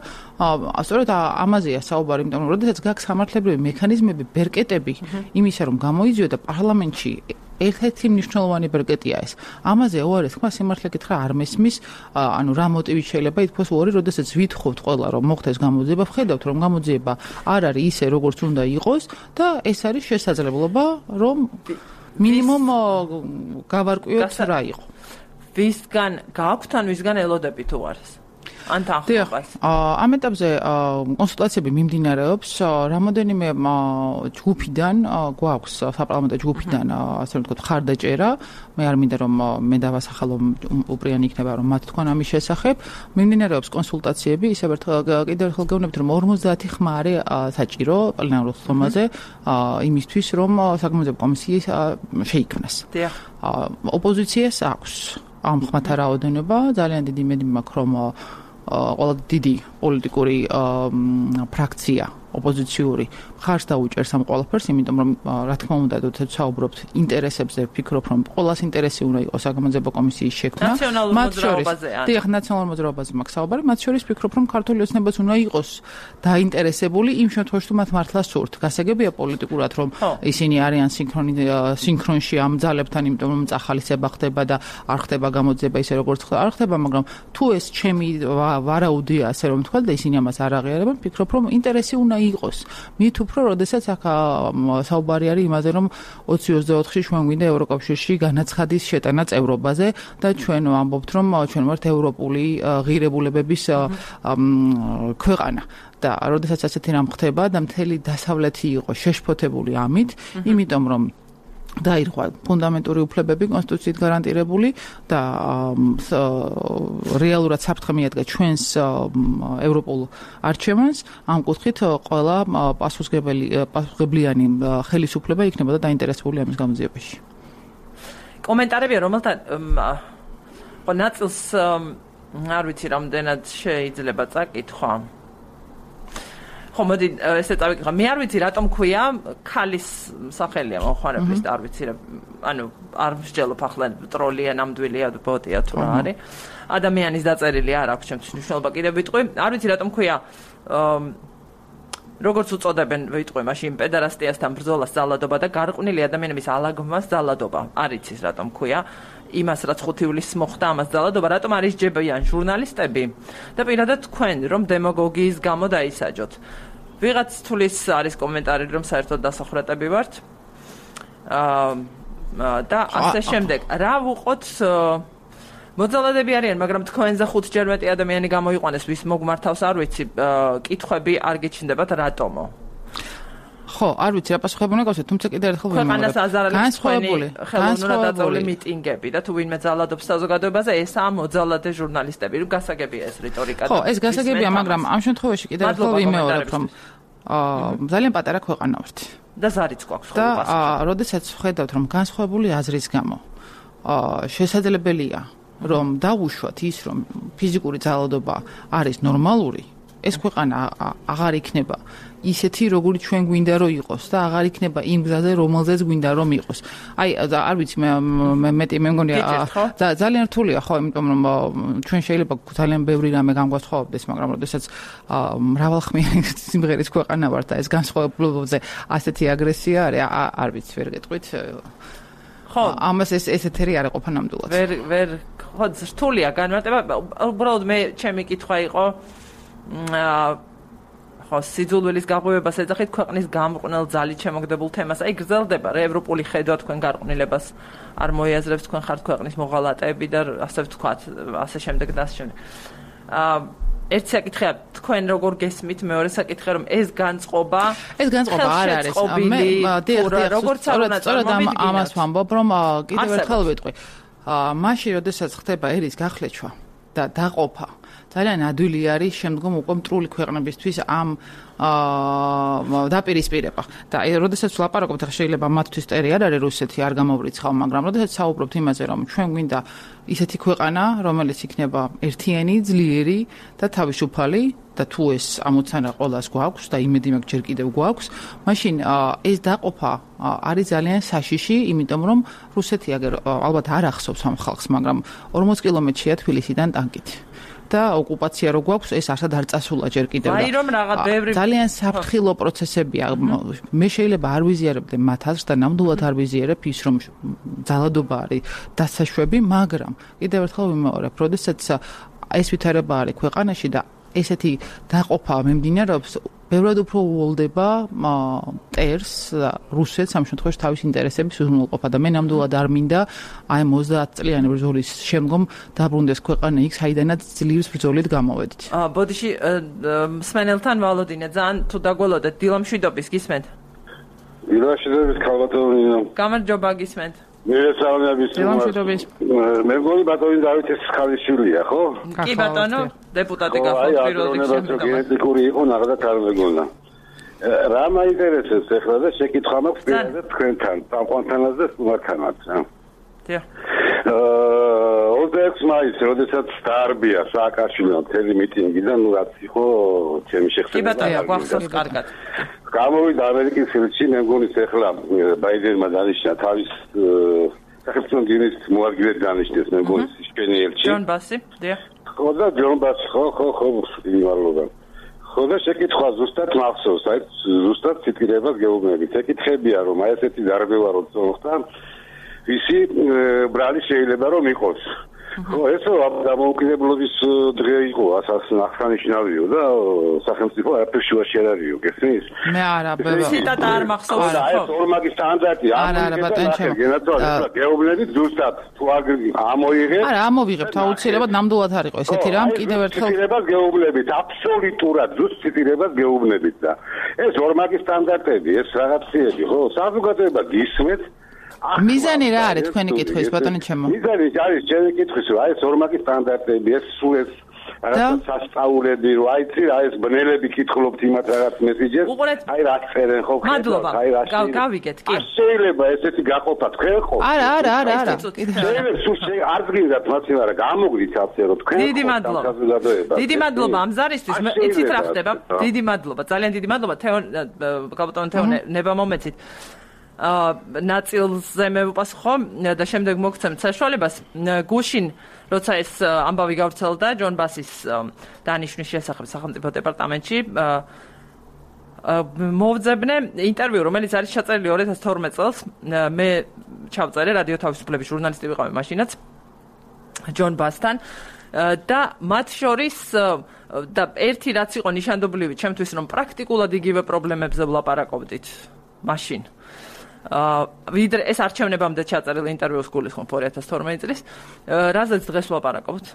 სწორედ ამაზეა საუბარი, იმიტომ რომ როდესაც გაქვს სამართლებრივი მექანიზმები, ბერკეტები იმისა, რომ გამოიძიოდა პარლამენტში ერთ-ერთი მნიშვნელოვანი ბერკეტია ეს. ამაზე უარეს თქვა სიმართლე გითხრა არ მესმის, ანუ რა მოტივით შეიძლება ითქვას უარი, როდესაც ვითხოვთ ყველა რომ მოხდეს გამოძიება, ვხედავთ რომ გამოძიება არ არის ისე როგორც უნდა იყოს და ეს არის შესაძლებლობა რომ მინიმუმ გავარკვიოთ რა იყო. ვისგან გაქვთ ან ვისგან ელოდებით უარს? ან თანხმობას. ამ ეტაპზე კონსულტაციები მიმდინარეობს, რამოდენიმე ჯგუფიდან გვაქვს საპარლამენტო ჯგუფიდან ასე ვთქვათ ხარდაჭერა. მე არ მინდა რომ მე დავასახელო უპრიანი იქნება რომ მათ თქვენ ამის შესახებ. მიმდინარეობს კონსულტაციები, ისევ კიდევ ერთხელ გეუბნებით რომ 50 ხმა არის საჭირო პლენარულ ხმაზე იმისთვის რომ საგამოძიებო კომისიის შეიქმნას. ოპოზიციას აქვს ამ ხმათა რაოდენობა, ძალიან დიდი იმედი მაქვს რომ ყველა დიდი პოლიტიკური ფრაქცია ოპოზიციური ხარს დაუჭერს ამ ყველაფერს, იმიტომ რომ რა თქმა უნდა, როდესაც საუბრობთ ინტერესებზე, ვფიქრობ, რომ ყველას ინტერესი უნდა იყოს საგამოძიებო კომისიის შექმნა. მათ შორის, დიახ, ნაციონალურ მოძრაობაზე მაქვს საუბარი, მათ შორის ვფიქრობ, რომ ქართული ოცნებაც უნდა იყოს დაინტერესებული იმ შემთხვევაში, თუ მათ მართლა სურთ. გასაგებია პოლიტიკურად, რომ ისინი არიან სინქრონში ამ ძალებთან, იმიტომ რომ წახალისება ხდება და არ ხდება გამოძიება ისე როგორც არ ხდება, მაგრამ თუ ეს ჩემი ვარაუდია, ასე რომ ვთქვა და ისინი ამას არ აღიარებენ, ვფიქრობ, რომ ინტერესი უნდა იყოს. მით უფრო, როდესაც აქ საუბარი არის იმაზე, რომ 2024-ში ჩვენ გვინდა ევროკავშირში განაცხადის შეტანა წევრობაზე და ჩვენ ვამბობთ, რომ ჩვენ ვართ ევროპული ღირებულებების ქვეყანა. და როდესაც ასეთი რამ ხდება და მთელი დასავლეთი იყო შეშფოთებული ამით, იმიტომ რომ დაირღვა ფუნდამენტური უფლებები კონსტიტუციით გარანტირებული და რეალურად საფრთხე მიადგა ჩვენს ევროპულ არჩევანს, ამ კუთხით ყველა პასუხისმგებლიანი ხელისუფლება იქნებოდა დაინტერესებული ამის გამოძიებაში. კომენტარებია, რომელთა ნაწილს არ ვიცი რამდენად შეიძლება წაკითხვა. ხო, მოდი ესე წავიკითხა. მე არ ვიცი რატომ ქვია ქალის სახელია მოხარებლის და არ ვიცი ანუ არ მსჯელობ ახლა ტროლია, ნამდვილია, ბოტია თუ რა არის. ადამიანის დაწერილი არ აქვს ჩემთვის მნიშვნელობა კიდევ ვიტყვი. არ ვიცი რატომ ქვია როგორც უწოდებენ ვიტყვი მაშინ პედერასტიასთან ბრძოლას ძალადობა და გარყვნილი ადამიანების ალაგმას ძალადობა. არ იცის რატომ ქვია იმას რაც 5 ივლისს მოხდა ამას ძალადობა, რატომ არის ჯებიან ჟურნალისტები და პირადად თქვენ რომ დემაგოგიის გამო დაისაჯოთ. ვიღაც თulis არის კომენტარი რომ საერთოდ დასახრატები ვართ. და ასე შემდეგ. რა ვუყოთ მოძალადები არიან, მაგრამ თქვენზე 5-ჯერ მეტი ადამიანი გამოიყვანეს, ვის მოგმართავს არ ვიცი, კითხვები არ გიჩნდებათ რატომო? ხო, არ ვიცი რა პასუხები უნდა გავსვათ, თუმცა კიდევ ერთხელ ქვეყანას აზარალებს თქვენი ხელოვნურად დაწეული მიტინგები და თუ ვინმე ძალადობს საზოგადოებაზე, ესაა მოძალადე ჟურნალისტები, რომ გასაგებია ეს რიტორიკა. ხო, ეს გასაგებია, მაგრამ ამ შემთხვევაში კიდევ ერთხელ ვიმეორებ, რომ ძალიან პატარა ქვეყანა ვართ. და ზარიც გვაქვს ხო პასუხი. და როდესაც ვხედავთ, რომ განსხვავებული აზრის გამო შესაძლებელია, რომ დავუშვათ ის, რომ ფიზიკური ძალადობა არის ნორმალური, ეს ქვეყანა აღარ იქნება ისეთი, როგორი ჩვენ გვინდა რომ იყოს და აღარ იქნება იმ გზაზე, რომელზეც გვინდა რომ იყოს. აი, არ ვიცი, მე მგონი ძალიან რთულია, ხო, იმიტომ რომ ჩვენ შეიძლება ძალიან ბევრი რამე გამგვასხოვდეს, მაგრამ როდესაც მრავალხმიანი სიმღერის ქვეყანა ვართ და ეს განსხვავებულობაზე ასეთი აგრესია არის, არ ვიცი, ვერ გეტყვით. ხო, ამას ესეთერი არ ეყოფა ნამდვილად. ვერ ხო, რთულია განმარტება. უბრალოდ მე ჩემი კითხვა იყო ხო, სიძულვილის გაღვივებას ეძახით ქვეყნის გამყვნელ ძალით შემოგდებულ თემას. აი გრძელდება რა ევროპული ხედვა თქვენ გარყვნილებას არ მოიაზრებს, თქვენ ხართ ქვეყნის მოღალატეები და ასე ვთქვათ, ასე შემდეგ და ასე შემდეგ. ერთი საკითხია, თქვენ როგორ გესმით, მეორე საკითხია, რომ ეს განწყობა არ არის. როგორც სწორედ ამას ვამბობ, რომ კიდევ ერთხელ ვიტყვი. მაშინ, როდესაც ხდება ერის გახლეჩვა და დაყოფა, ძალიან ადვილი არის შემდგომ უკვე მტრული ქვეყნებისთვის ამ დაპირისპირება. და როდესაც ვლაპარაკობთ, შეიძლება მათთვის ტერი არ არის რუსეთი, არ გამოვრიცხავ, მაგრამ როდესაც საუბრობთ იმაზე, რომ ჩვენ გვინდა ისეთი ქვეყანა, რომელიც იქნება ერთიანი, ძლიერი და თავისუფალი და თუ ეს ამოცანა ყოველას გვაქვს და იმედი მაქვს ჯერ კიდევ გვაქვს, მაშინ ეს დაყოფა არის ძალიან საშიში, იმიტომ რომ რუსეთი ალბათ არ ახსოვს ამ ხალხს, მაგრამ 40 კილომეტრია თბილისიდან ტანკით. და ოკუპაცია რო გვაქვს, ეს არსად არ წასულა ჯერ კიდევ. აი რომ რაღაც ბევრი ძალიან საფრთხილო პროცესებია. მე შეიძლება არ ვიზიარებდე მათ აზრს და ნამდვილად არ ვიზიარებ ის, რომ ძალადობა არის დასაშვები, მაგრამ კიდევ ერთხელ ვიმეორებ, როდესაც ეს ვითარება არის ქვეყანაში და ესეთი დაყოფა მიმდინარეობს, ბევრად უფრო უოლდება ტერს და რუსეთს ამ შემთხვევაში თავის ინტერესების უზრუნველყოფა და მე ნამდვილად არ მინდა აი 30 წლიანი ბრძოლის შემდგომ დაბრუნდეს ქვეყანა იქ, საიდანაც ძლივს ბრძოლით გამოვედით. ბოდიში მსმენელთან ვალოდინე, ძალიან თუ დაგველოდეთ, დილამშვიდობის გისმენთ? დილამშვიდობის ქალბატონო. გამარჯობა გისმენთ. დილამშვიდობის. მე მგონი ბატონი დავითის ხალისშილია, ხო? კი ბატონო, დეპუტატი გახდა პირველ რიგში. გენეტიკური იყო ნახდა არ მეგონა. რა მაინტერესებს ახლა და შეკითხვა მაქვს პირადად თქვენთან, წამყვანთანაც და სტუმართანაც. დიახ. 26 მაისს, როდესაც დაარბია სააკაშვილმა მთელი მიტინგი და ნუ რაც იყო ჩემი შეხება. კი ბატონო, გვახსოვს კარგად. გამოვიდა ამერიკის ხელში, მე მგონი ახლა ბაიდენმა დანიშნა თავის სახელმწიფო დინის მოადგილედ დანიშნეს, მე მგონი შენი ელჩი. ჯონ ბასი, დიახ. ხო და ჯონ ბასი, ხო, იმალობა. ხო და შეკითხვა ზუსტად მახსოვს, აი ზუსტად ციტირებას გეუბნებით. ეკითხებია რომ აი ესეთი დარბევა როცა მოხდა, ისი ბრალი შეიძლება რომ იყოს. ხო, ესო დამოუკიდებლობის დღე იყო, აღსანიშნავია და სახელმწიფო არაფერში არ არისო, გესმის? მე არა, ციტატა არ მახსოვს, ხო. აი, ორმაგი სტანდარტი გეუბნებით ზუსტად თუ ამოიღეთ. არა, ამოვიღებთ, აუცილებლად ნამდვილად არ იყო ესეთი რამ, კიდევ ერთხელ ციტირებას გეუბნებით, აბსოლუტურად ზუსტ ციტირებას გეუბნებით და ეს ორმაგი სტანდარტები, ეს რაღაცები, ხო, საზოგადოება გისმენთ. მიზანი რა არის თქვენი კითხვის ბატონო ჩემო? მიზანი არის ჩემი კითხვის, რომ აი ეს ორმაგი სტანდარტები, ეს სულ ეს რაღაც სასწაულები, რომ აიცი რა ეს ბნელები კითხულობთ იმათ რაღაც მესიჯებს, აი რა წერენ ხო ხება, აი რა გავიგეთ, კი. შეიძლება ესეთი გაყოფა თქვენ ხო? არა. შეიძლება სულ არ გინდათ მათი, მაგრამ გამოგვით ასე რომ თქვენ დიდი მადლობა ამ ზარისთვის, იცით რა ხდება? დიდი მადლობა, ძალიან დიდი მადლობა კაპიტან თეო ნებამომეცით. ნაწილზე მე ვუპასუხო და შემდეგ მოგცემთ საშუალებას გუშინ როცა ეს ამბავი გავრცელდა ჯონ ბასის დანიშვნის შესახებ სახელმწიფო დეპარტამენტში მოვძებნე ინტერვიუ რომელიც არის ჩაწერილი 2012 წელს მე ჩავწერე რადიო თავისუფლების ჟურნალისტი ვიყავი მაშინაც ჯონ ბასთან და მათ შორის და ერთი რაც იყო ნიშანდობლივი ჩემთვის რომ პრაქტიკულად იგივე პრობლემებზე ვლაპარაკობდით მაშინ ვიდრე ეს არჩევნებამდე ჩაწერილი ინტერვიუს გულისხმობ 2012 წლის რაზეც დღეს ვლაპარაკობთ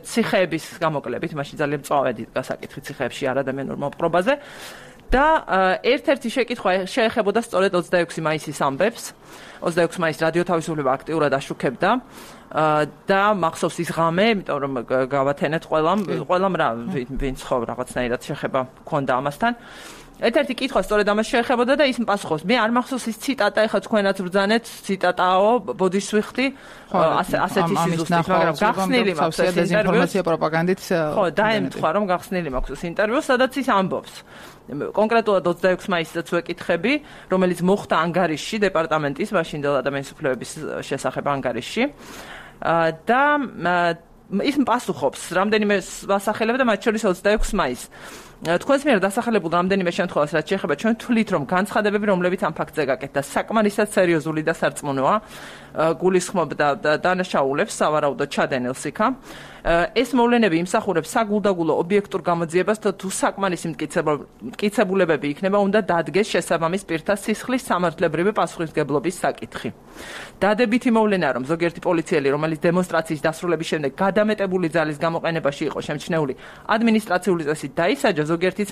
ციხეების გამოკლებით მაშინ ძალიან მწვავედი გასაკითხი ციხეებში არადამიანურ მოპყრობაზე და ერთ-ერთი შეკითხვა შეეხებოდა სწორედ 26 მაისის ამბებს 26 მაისს რადიო თავისუფლება აქტიურად აშუქებდა და მახსოვს ის ღამე იმიტომ რომ გავათენეთ ყველამ რა ვინც ხო რაღაცნაირად შეხება ქონდა ამასთან ერთ-ერთი კითხვა სწორედ ამას შეეხებოდა და ის პასუხობს. მე არ მახსოვს ის ციტატა, ეხლა თქვენაც ბრძანეთ, ციტატაო, ბოდიშსვიხტი, ასეთი სიზუსტით, მაგრამ გახსნილი მაქვს ეს დეзинფორმაცია პროპაგანდით. ხო, დაემთხვა რომ გახსნილი მაქვს ეს ინტერვიუ, სადაც ის ამბობს. კონკრეტულად 26 მაისსაც ვეკითხები, რომელიც მოხდა ანგარიშში, დეპარტამენტის მაშინდელ ადამიანის უფლებების შესახებ ანგარიშში. და ის პასუხობს, რამდენიმე მასახელებ და მათ შორის 26 მაისს. თქვენს მიერ დასახელებულ რამდენიმე შემთხვევას რაც შეეხება ჩვენ თვლით რომ განცხადებები რომლებიც ამ ფაქტზე გაკეთდა საკმარისად სერიოზული და სარწმუნოა გულისხმობდა დანაშაულებს სავარაუდოდ ჩადენილს იქა ეს მოვლენები იმსახურებს საგულდაგულო ობიექტურ გამოძიებას და თუ საკმარისი მტკიცებულებები იქნება უნდა დადგეს შესაბამის პირთა სისხლის სამართლებრივი პასუხისმგებლობის საკითხი დადებითი მოვლენაა რომ ზოგიერთი პოლიციელი რომელიც დემონსტრაციის დასრულების შემდეგ გადამეტებული ძალის გამოყენებაში იყო შემჩნეული ადმინისტრაციული წესით დაისაჯა ზოგიერთიც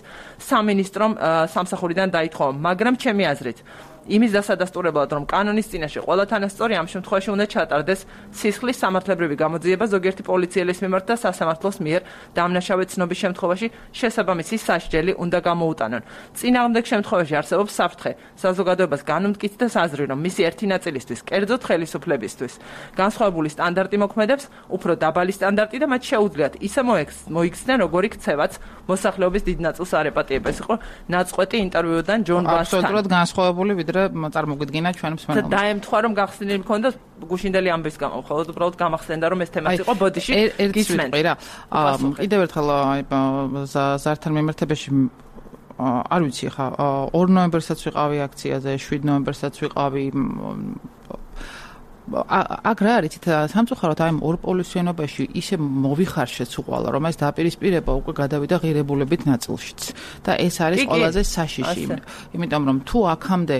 სამინისტრომ სამსახურიდან დაითხოვა მაგრამ ჩემი აზრით იმის დასადასტურებლად რომ კანონის წინაშე ყველა თანასწორი ამ შემთხვევაში უნდა ჩატარდეს სისხლის სამართლებრივი გამოძიება ზოგიერთი პოლიციელის მიმართ და სასამართლოს მიერ დამნაშავე ცნობის შემთხვევაში შესაბამისი სასჯელი უნდა გამოუტანონ. წინააღმდეგ შემთხვევაში არსებობს საფრთხე საზოგადოებას განმტკიცდეს აზრი რომ მისი ერთი ნაწილისთვის, კერძოდ ხელისუფლებისთვის, განსხვავებული სტანდარტი მოქმედებს, უფრო დაბალი სტანდარტი და მათ შეუძლიათ ისე მოიქცნენ როგორი ქცევაც მოსახლეობის დიდ ნაწილს არ ეპატიება. ეს იყო ნაწყვეტი ინტერვიუდან ჯონ ბასთან. აბსოლუტურად განსხვავებული ვიდრე წარმოგიდგინა ჩვენ მსმენელს. დაემთხვა რომ გახსნილი მქონდა გუშინდელი ამბის გამო, ხოლოდ უბრალოდ გამახსენდა რომ ეს თემაც იყო ბოდიში გისმენთ. რა, კიდევ ერთხელ ზართან მიმართებაში არ ვიცი ხა 2 ნოემბერსაც ვიყავი აქციაზე, 7 ნოემბერსაც ვიყავი აქ რა არის სამწუხაროდ აი ორ პოლიციენობაში ისე მოვიხარშეც უყვალა რომ ეს დაპირისპირება უკვე გადავიდა ღირებულებით ნაწილშიც და ეს არის ყველაზე საშიში იმიტომ რომ თუ აქამდე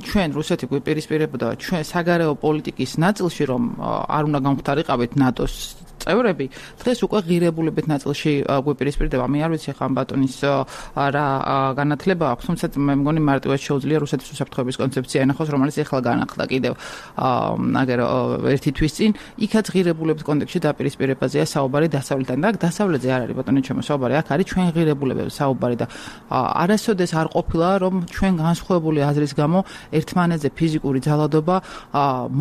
ჩვენ რუსეთი გვიპირისპირებოდა ჩვენ საგარეო პოლიტიკის ნაწილში რომ არ უნდა გამختارიყავით ნატოს წევრები დღეს უკვე ღირებულებით ნაწილში გვიპირისპირდება მე არ ვიცი ხან ბატონის რა განათლება აქვს თუმცა მე მგონი მარტივად შეუძლია რუსეთის უსაფრთხოების კონცეფცია ენახოს რომელიც ახლა განახლდა კიდევ აგერ ერთი თვის წინ იქაც ღირებულების კონტექსტში დაპირისპირებაზეა საუბარი დასავლეთთან და დასავლეთზე არ არის ბატონო ჩემო საუბარი აქ არის ჩვენ ღირებულებებზე საუბარი და არასოდეს არ ყოფილა რომ ჩვენ განსხვავებული აზრის გამო ერთმანეთზე ფიზიკური ძალადობა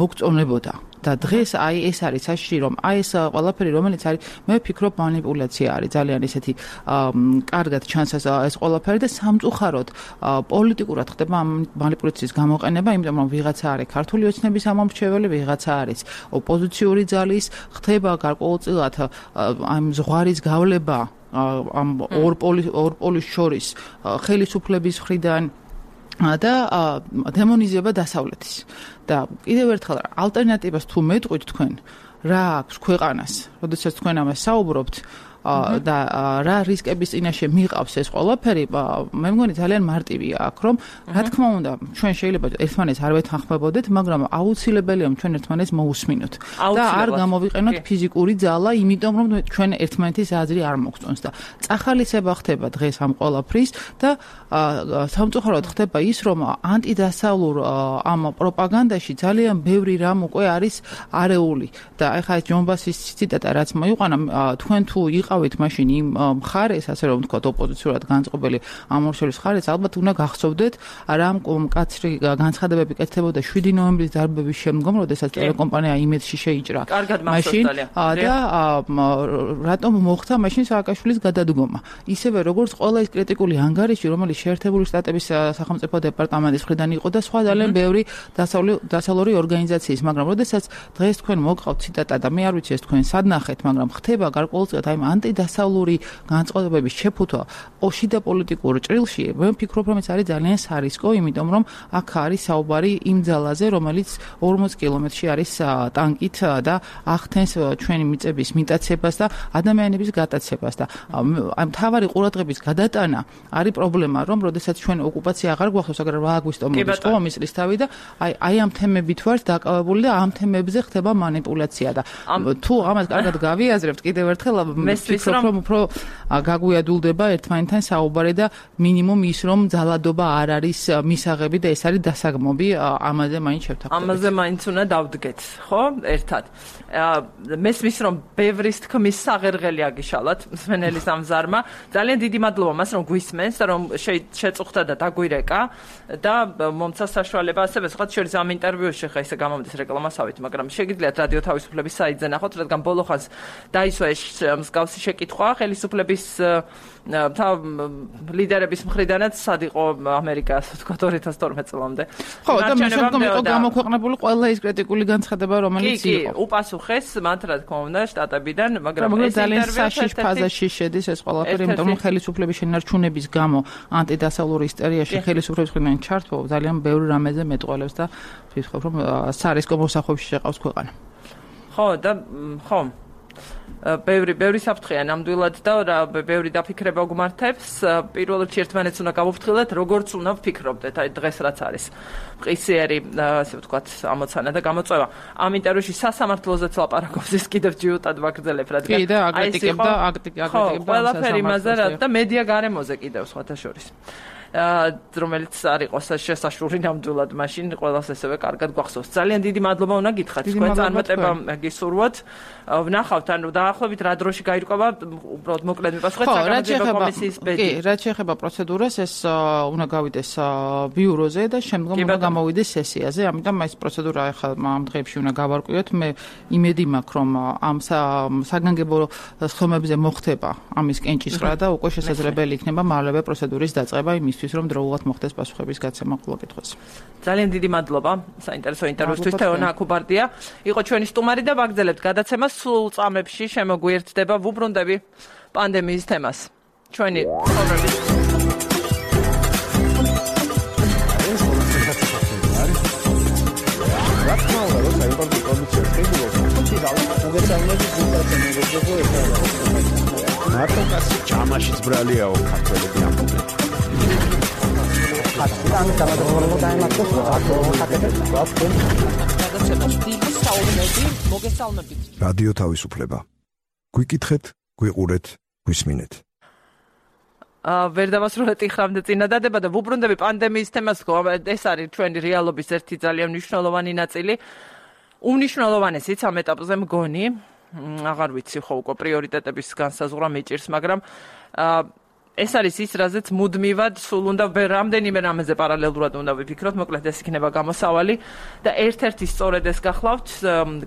მოგწონებოდა და დღეს აი ეს არის საშიში რომ აი ეს ყველაფერი რომელიც არის მე ვფიქრობ манипуляცია არის ძალიან ისეთი კარგად ჩანს ეს ყველაფერი და სამწუხაროდ პოლიტიკურად ხდება ამ манипуляციის გამოყენება იმიტომ რომ ვიღაცა არის ქართული ოცნების ამომრჩეველი ვიღაცა არის ოპოზიციური ძალის ხდება გარკვეულწილად ამ ზღვარის გავლება ამ ორ პოლის შორის ხელისუფლების მხრიდან და დემონიზება დასავლეთის და კიდევ ერთხელ ალტერნატივას თუ მეტყვით თქვენ რა აქვს ქვეყანას, როდესაც თქვენ ამას საუბრობთ და რა რისკების წინაშე მიყავს ეს ყველაფერი, მე მგონი ძალიან მარტივია აქ, რომ რა თქმა უნდა, ჩვენ შეიძლება ერთმანეთს არ ვეთანხმებოდეთ, მაგრამ აუცილებელია ჩვენ ერთმანეთს მოусმინოთ და არ გამოვიყენოთ ფიზიკური ძალა, იმიტომ რომ ჩვენ ერთმანეთის აზრი არ მოგწონს და წახალისება ხდება დღეს ამ ყველაფრის და სამწუხაროდ ხდება ის, რომ ანტიდასავლურ ამ პროპაგანდაში ძალიან ბევრი რამ უკვე არის არეული და ეხლა ეს ჯონბასის ციტატა რაც მოიყვანა, თქვენ თუ იყავით მაშინ იმ მხარეს, ასე რომ ვთქვათ, ოპოზიციურად განწყობილი ამ ორ მხარეს, ალბათ უნდა გახსოვდეთ რამ კაცრი განცხადებები კეთდებოდა 7 ნოემბრის დარბების შემდგომ, როდესაც ტელეკომპანია იმედში შეიჭრა. მაშინ და რატომ მოხდა მაშინ სააკაშვილის გადადგომა. ისევე როგორც ყველა ის კრიტიკული ანგარიში, რომელიც შეერთებული შტატების სახელმწიფო დეპარტამენტის მხრიდან იყო და სხვა ძალიან ბევრი დასავლური ორგანიზაციის, მაგრამ როდესაც დღეს თქვენ მოგყავთ ციტატა და მე არ ვიცი ეს თქვენ სად ნახეთ, მაგრამ ხდება გარკვეულწილად აი ანტიდასავლური განწყობების შეფუთვა შიდა პოლიტიკურ ჭრილში, მე ვფიქრობ, რომ ეს არის ძალიან სარისკო, იმიტომ რომ აქ არის საუბარი იმ ძალაზე, რომელიც 40 კილომეტრში არის ტანკით და ახდენს ჩვენი მიწების მიტაცებას და ადამიანების გატაცებას და აი მთავარი ყურადღების გადატანა არის პრობლემა, რომ როდესაც ჩვენ ოკუპაცია აღარ გვახსოვს, მაგრამ რა აგვისტო მოდის ხო ამის რისთავი და აი ამ თემებით ვართ დაკავებული და ამ თემებზე ხდება манипуляცია და თუ ამას კარგად გავიაზრებთ კიდევ ერთხელ ვფიქრობ, რომ უფრო გაგვიადულდება ერთმანეთთან საუბარი და მინიმუმ ის, რომ ძალადობა არ არის მისაღები და ეს არის დასაგმობი, ამაზე მაინც შევთანხმდებით. ამაზე მაინც უნდა დავდგეთ, ხო? ერთად. მესმის, რომ ბევრის თქმის საღერღელი აგიშალათ მსმენელის ამ ზარმა. ძალიან დიდი მადლობა მას, რომ გვისმენს და რომ შეწუხდა და დაგვირეკა და მომცა საშუალება ასევე სხვა შორის ამ ინტერვიუში ხა ისე გამომდის რეკლამასავით, მაგრამ შეგიძლიათ რადიო თავისუფლების საიტზე ნახოთ, რადგან ბოლო ხანს დაისვა ეს მსგავსი შეკითხვა ხელისუფლების ლიდერების მხრიდანაც სად იყო ამერიკა, ასე ვთქვათ 2012 წლამდე. ხო, და მე შემდგომ იყო გამოქვეყნებული ყველა ის კრიტიკული განცხადება, რომელიც იყო. უპასუხეს მათ, რა თქმა უნდა, შტატებიდან, მაგრამ ეს ძალიან საშიშ ფაზაში შედის ეს ყველაფერი, იმიტომ რომ ხელისუფლების შენარჩუნების გამო ანტიდასავლური ისტერიაში ხელისუფლების მხრიდან ჩართვა ძალიან ბევრი რამეზე მეტყველებს და ვფიქრობ, რომ სარისკო მოსახვებში შეყავს ქვეყანა. ხო, და ხო. ბევრი საფრთხეა ნამდვილად და ბევრი დაფიქრება გვმართებს. პირველ რიგში ერთმანეთს უნდა გავუფრთხილდეთ, როგორც უნდა ვფიქრობდეთ, აი დღეს რაც არის. მყისიერი, ასე ვთქვათ, ამოცანა და გამოწვევა. ამ ინტერვიუში სასამართლოზეც ლაპარაკობს ის კიდევ ჯიუტად ვაგრძელებ, რადგან კი და აკრიტიკებდა ყველაფერი იმაზე და მედია გარემოზე კიდევ სხვათა შორის. რომელიც არ იყოს შესაშური ნამდვილად მაშინ ყველას ესევე კარგად გვახსოვს. ძალიან დიდი მადლობა უნდა გითხრათ, თქვენ წარმატება გისურვოთ. ვნახავთ, ანუ დაახლოებით რა დროში გაირკვევა, უბრალოდ მოკლედ მიპასუხეთ საგამოძიებო კომისიის ბედი. კი, რაც შეეხება პროცედურას, ეს უნდა გავიდეს ბიუროზე და შემდგომ უნდა გამოვიდეს სესიაზე, ამიტომ ეს პროცედურა ახლა ამ დღეებში უნდა გავარკვიოთ. მე იმედი მაქვს, რომ ამ საგანგებო სხდომებზე მოხდება ამის კენჭისყრა და უკვე შესაძლებელი იქნება მალევე პროცედურის დაწყება იმისთვის, რომ დროულად მოხდეს პასუხების გაცემა ყველა კითხვაზე. ძალიან დიდი მადლობა საინტერესო ინტერვიუსთვის. თეონა აკუბარდია იყო ჩვენი სტუმარი და ვაგრძელებთ გადაცემას. სულ წამებში შემოგვიერთდება ვუბრუნდები პანდემიის თემას. ჩვენი ცხოვრების მარტო კაცი ჯამაშიც ბრალიაო ქართველები ამბობენ. რადიო თავისუფლება. გვიკითხეთ, გვიყურეთ, გვისმინეთ. ვერ დავასრულეთ იხრამდე წინადადება და ვუბრუნდები პანდემიის თემას, ეს არის ჩვენი რეალობის ერთი ძალიან მნიშვნელოვანი ნაწილი. უმნიშვნელოვანესიც ამ ეტაპზე მგონი, აღარ ვიცი ხო უკვე პრიორიტეტების განსაზღვრა მიჭირს, მაგრამ ეს არის ის, რაზეც მუდმივად სულ უნდა რამდენიმე რამეზე პარალელურად უნდა ვიფიქროთ, მოკლედ ეს იქნება გამოსავალი და ერთ-ერთი სწორედ ეს გახლავთ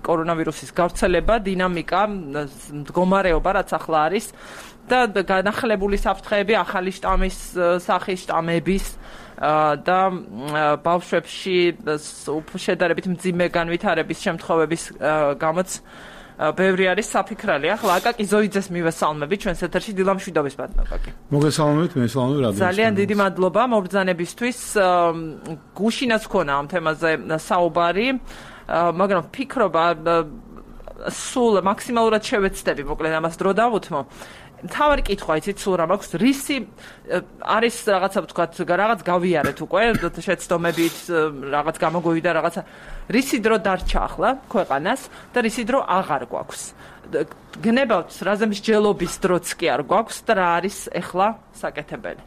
კორონავირუსის გავრცელება, დინამიკა, მდგომარეობა, რაც ახლა არის და განახლებული საფრთხეები, ახალი შტამის სახის შტამების და ბავშვებში შედარებით მძიმე განვითარების შემთხვევების გამოც ბევრი არის საფიქრალი. ახლა აკაკი ზოიძეს მივესალმები ჩვენს ეთერში. დილამშვიდობის ბატონო აკაკი. მოგესალმებით, მესალმები რადიო. ძალიან დიდი მადლობა მობრძანებისთვის. გუშინაც ქონა ამ თემაზე საუბარი, მაგრამ ფიქრობა სულ მაქსიმალურად შევეცდები, მოკლედ ამას დრო დავუთმო. თავარი კითხვა იცით სულ რა მაქვს რისი არის რაღაცა ვთქვათ რაღაც გავიარეთ უკვე შეცდომებით რაღაც გამოგვივიდა რაღაცა რისი დრო დარჩა ახლა ქვეყანას და რისი დრო აღარ გვაქვს გნებავთ რაზე მსჯელობის დროც კი არ გვაქვს და რა არის ახლა საკეთებელი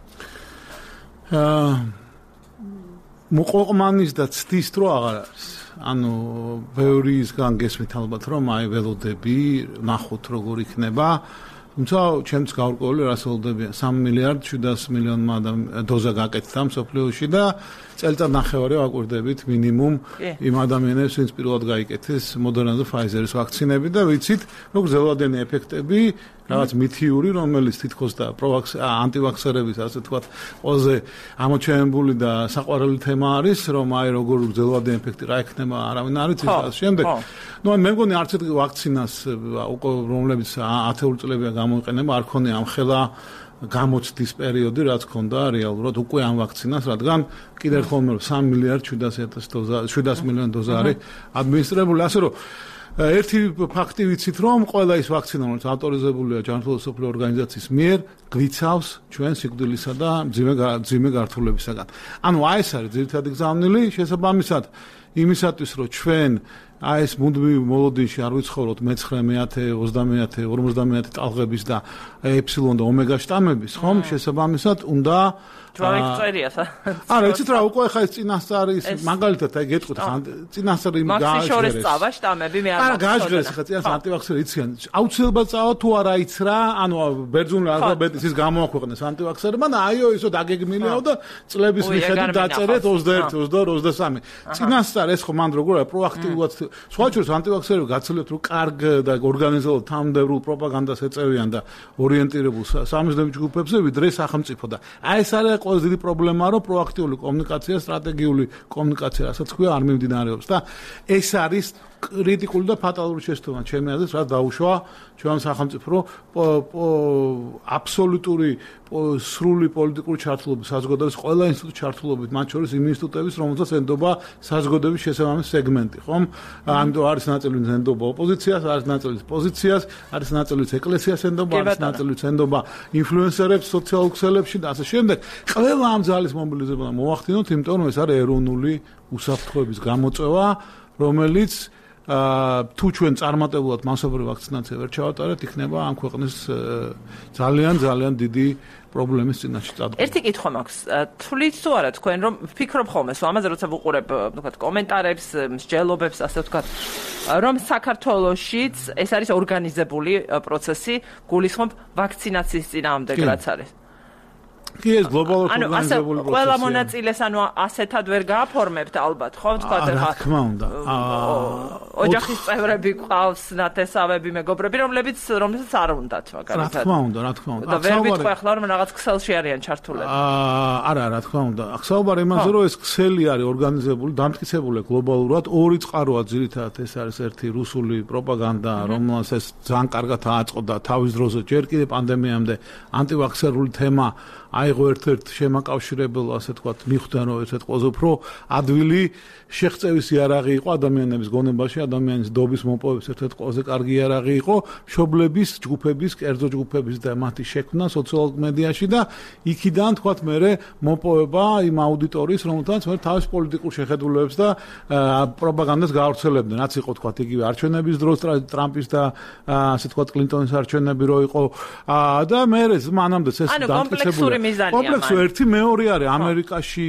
მოყოყმანის და ცდის დრო აღარ არის ანუ ბევრისგან გესმით ალბათ რომ აი ველოდები ნახოთ როგორ იქნება თუმცა ჩემს გავარკვეული რასაუბრებია 3 მილიარდ 700 მილიონმა დოზა გაკეთდა მსოფლიოში და წელიწად ნახევარი ვაკვირდებით მინიმუმ იმ ადამიანებს ვინც პირველად გაიკეთეს Moderna და Pfizer-ის ვაქცინები და ვიცით როგორ ზელოდენი ეფექტები რაღაც მითიური რომელიც თითქოს და ანტივაქსერების ასე თქვა ყველაზე ამოჩენებული და საყვარელი თემა არის რომ აი როგორ ზელოდენი ეფექტი რა ექნება არავინ არ იცის ასე შემდეგ ნუ მე მგონი არც ერთი ვაქცინას უკვე რომლებიც 10 წლებია გამოიყენება არ ქონია ამ ხელა გამოცდის პერიოდი რაც ქონდა რეალურად უკვე ამ ვაქცინას რადგან კიდევ ერთხელ 3 მილიარდ 700 მილიონი დოზა არის ადმინისტრირებული ასე რომ ერთი ფაქტი ვიცით რომ ყველა ის ვაქცინა რომელიც ავტორიზებულია ჯანმრთელობის მსოფლიო ორგანიზაციის მიერ გვიცავს ჩვენ სიკვდილისა და მძიმე გართულებისაგან ანუ აი ეს არის ძირითადი გზავნილი შესაბამისად იმისათვის რომ ჩვენ აი ეს მუდმივ მოლოდინში არ ვიცხოვროთ მე-9, 30, 50 ტალღების და ეფსილონ და ომეგა შტამების ხომ შესაბამისად უნდა ჯვარიწერია არა იცით რა უკვე ხა ეს წინასწარი მაგალითად აი გეტყვით ხან წინასწარი გააჟღერეს წავა შტამები მე არ გააჟღერეს ხა წინას ანტივაქსერი იციან აუცილებლად წავა თუ არა იცრა ანუ ბერძნული ალფაბეტის ის გამოაქვეყნეს ანტივაქსერებმა და აიო ისო დაგეგმილიაო და წლების მიხედვით დაწერეთ 21, 22, 23 წინასწარ ეს ხო მანდ როგორ არის პროაქტიულად სხვაჩვენს ანტივაქსერები გაცილებით რომ კარგ და ორგანიზებულ თანამდებრულ პროპაგანდას ეწევიან და ორიენტირებულ სამიზნეობ ჯგუფებზე ვიდრე სახელმწიფო და აი ეს არის ყველაზე დიდი პრობლემაა რომ პროაქტიული კომუნიკაცია, სტრატეგიული კომუნიკაცია, რასაც ქვია არ მიმდინარეობს და ეს არის კრიტიკული და ფატალური შეცდომა ჩემი აზრით, რაც დაუშვა ჩვენ სახელმწიფო აბსოლუტური სრული პოლიტიკური ჩართულობის საზოგადოების ყველა ინსტიტუტის ჩართულობით, მათ შორის იმ ინსტიტუტების, რომელსაც ენდობა საზოგადოების შესაბამისი სეგმენტი, ხომ? ამიტომ არის ნაწილი ენდობა ოპოზიციას, არის ნაწილი პოზიციას, არის ნაწილი ეკლესიას ენდობა, არის ნაწილი ენდობა ინფლუენსერებს სოციალურ ქსელებში და ასე შემდეგ. ყველა ამ ძალის მობილიზება მოახდინოთ, იმიტომ რომ ეს არის ეროვნული უსაფრთხოების გამოწვევა, რომელიც თუ ჩვენ წარმატებულად მასობრივ ვაქცინაცია ვერ ჩავატარებთ, იქნება ამ ქვეყნის ძალიან დიდი პრობლემის წინაშე წადგება. ერთი კითხვა მაქვს. თვლით თუ არა თქვენ რომ ფიქრობ ხოლმე ამაზე როცა ვუყურებ ვთქვათ კომენტარებს, მსჯელობებს, ასე ვთქვათ, რომ საქართველოშიც ეს არის ორგანიზებული პროცესი, გულისხმობ ვაქცინაციის წინააღმდეგ რაც არის. კი ეს გლობალურად ორგანიზებული პროცესია. ყველა მონაწილეს ანუ ასეთად ვერ გააფორმებთ ალბათ, ხო ვთქვათ ახლა. რა თქმა უნდა. ოჯახის წევრები ყავს, ნათესავები, მეგობრები, რომლებიც არ უნდათ მაგალითად. რა თქმა უნდა. და ვერ ვიტყვი ახლა რომ რაღაც ქსელში არიან ჩართულები. არა, რა თქმა უნდა. ახსაუბარი იმაზე რომ ეს ქსელი არის ორგანიზებული, დამტკიცებული გლობალურად, ორი წყაროა ძირითადად ეს არის ერთი რუსული პროპაგანდა, რომელსაც ეს ძალიან კარგად აწყობდა თავის დროზე ჯერ კიდე პანდემიამდე ანტივაქსერული თემა აიღო ერთ-ერთ შემაკავშირებელ, ასე თქვათ, მიხვდა რომ ესეთ ყველაზე უფრო ადვილი შეღწევის იარაღი იყო ადამიანების გონებაში, ადამიანის დობის მოპოვების ერთ-ერთი ყველაზე კარგი იარაღი იყო მშობლების, ჯგუფების, კერძო ჯგუფების და მათი შექმნა სოციალურ მედიაში და იქიდან თქვათ მე მოპოვება იმ აუდიტორიის, რომელთაც მე თავის პოლიტიკურ შეხედულებებს და პროპაგანდას გაავრცელებდნენ. რაც იყო თქვათ იგივე არჩევნების დროს ტრამპის და ასე თქვათ კლინტონის არჩევნები რო იყო და მე მანამდე ეს დამტკიცებული კომპლექსი ერთი მეორე არის ამერიკაში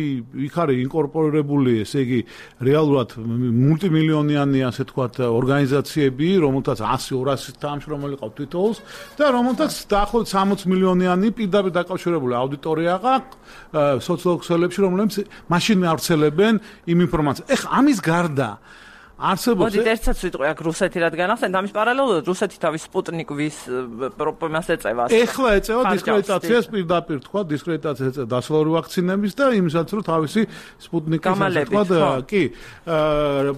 იქ არის ინკორპორირებული ესე იგი რეალურად მულტიმილიონიანი ასე თქვათ ორგანიზაციები რომელთაც 100-200 თანამშრომელი ყავთ თითოეულს და რომელთაც დაახლოებით 60 მილიონიანი პირდაპირ დაკავშირებული აუდიტორია აქვს სოციალურ ქსელებში რომლებიც მაშინ მეავრცელებენ იმ ინფორმაციას ეხლა ამის გარდა არსებობს მოდი ერთსაც ვიტყვი აქ რუსეთი რადგან ახსენეთ ამის პარალელურად რუსეთი თავის სპუტნიკვის პრობლემას ეწევა ეხლა ეწევა დისკრედიტაციას პირდაპირ თქვა დისკრედიტაციას ეწევა დასავლური ვაქცინების და იმისაც რომ თავისი სპუტნიკის თქვა კი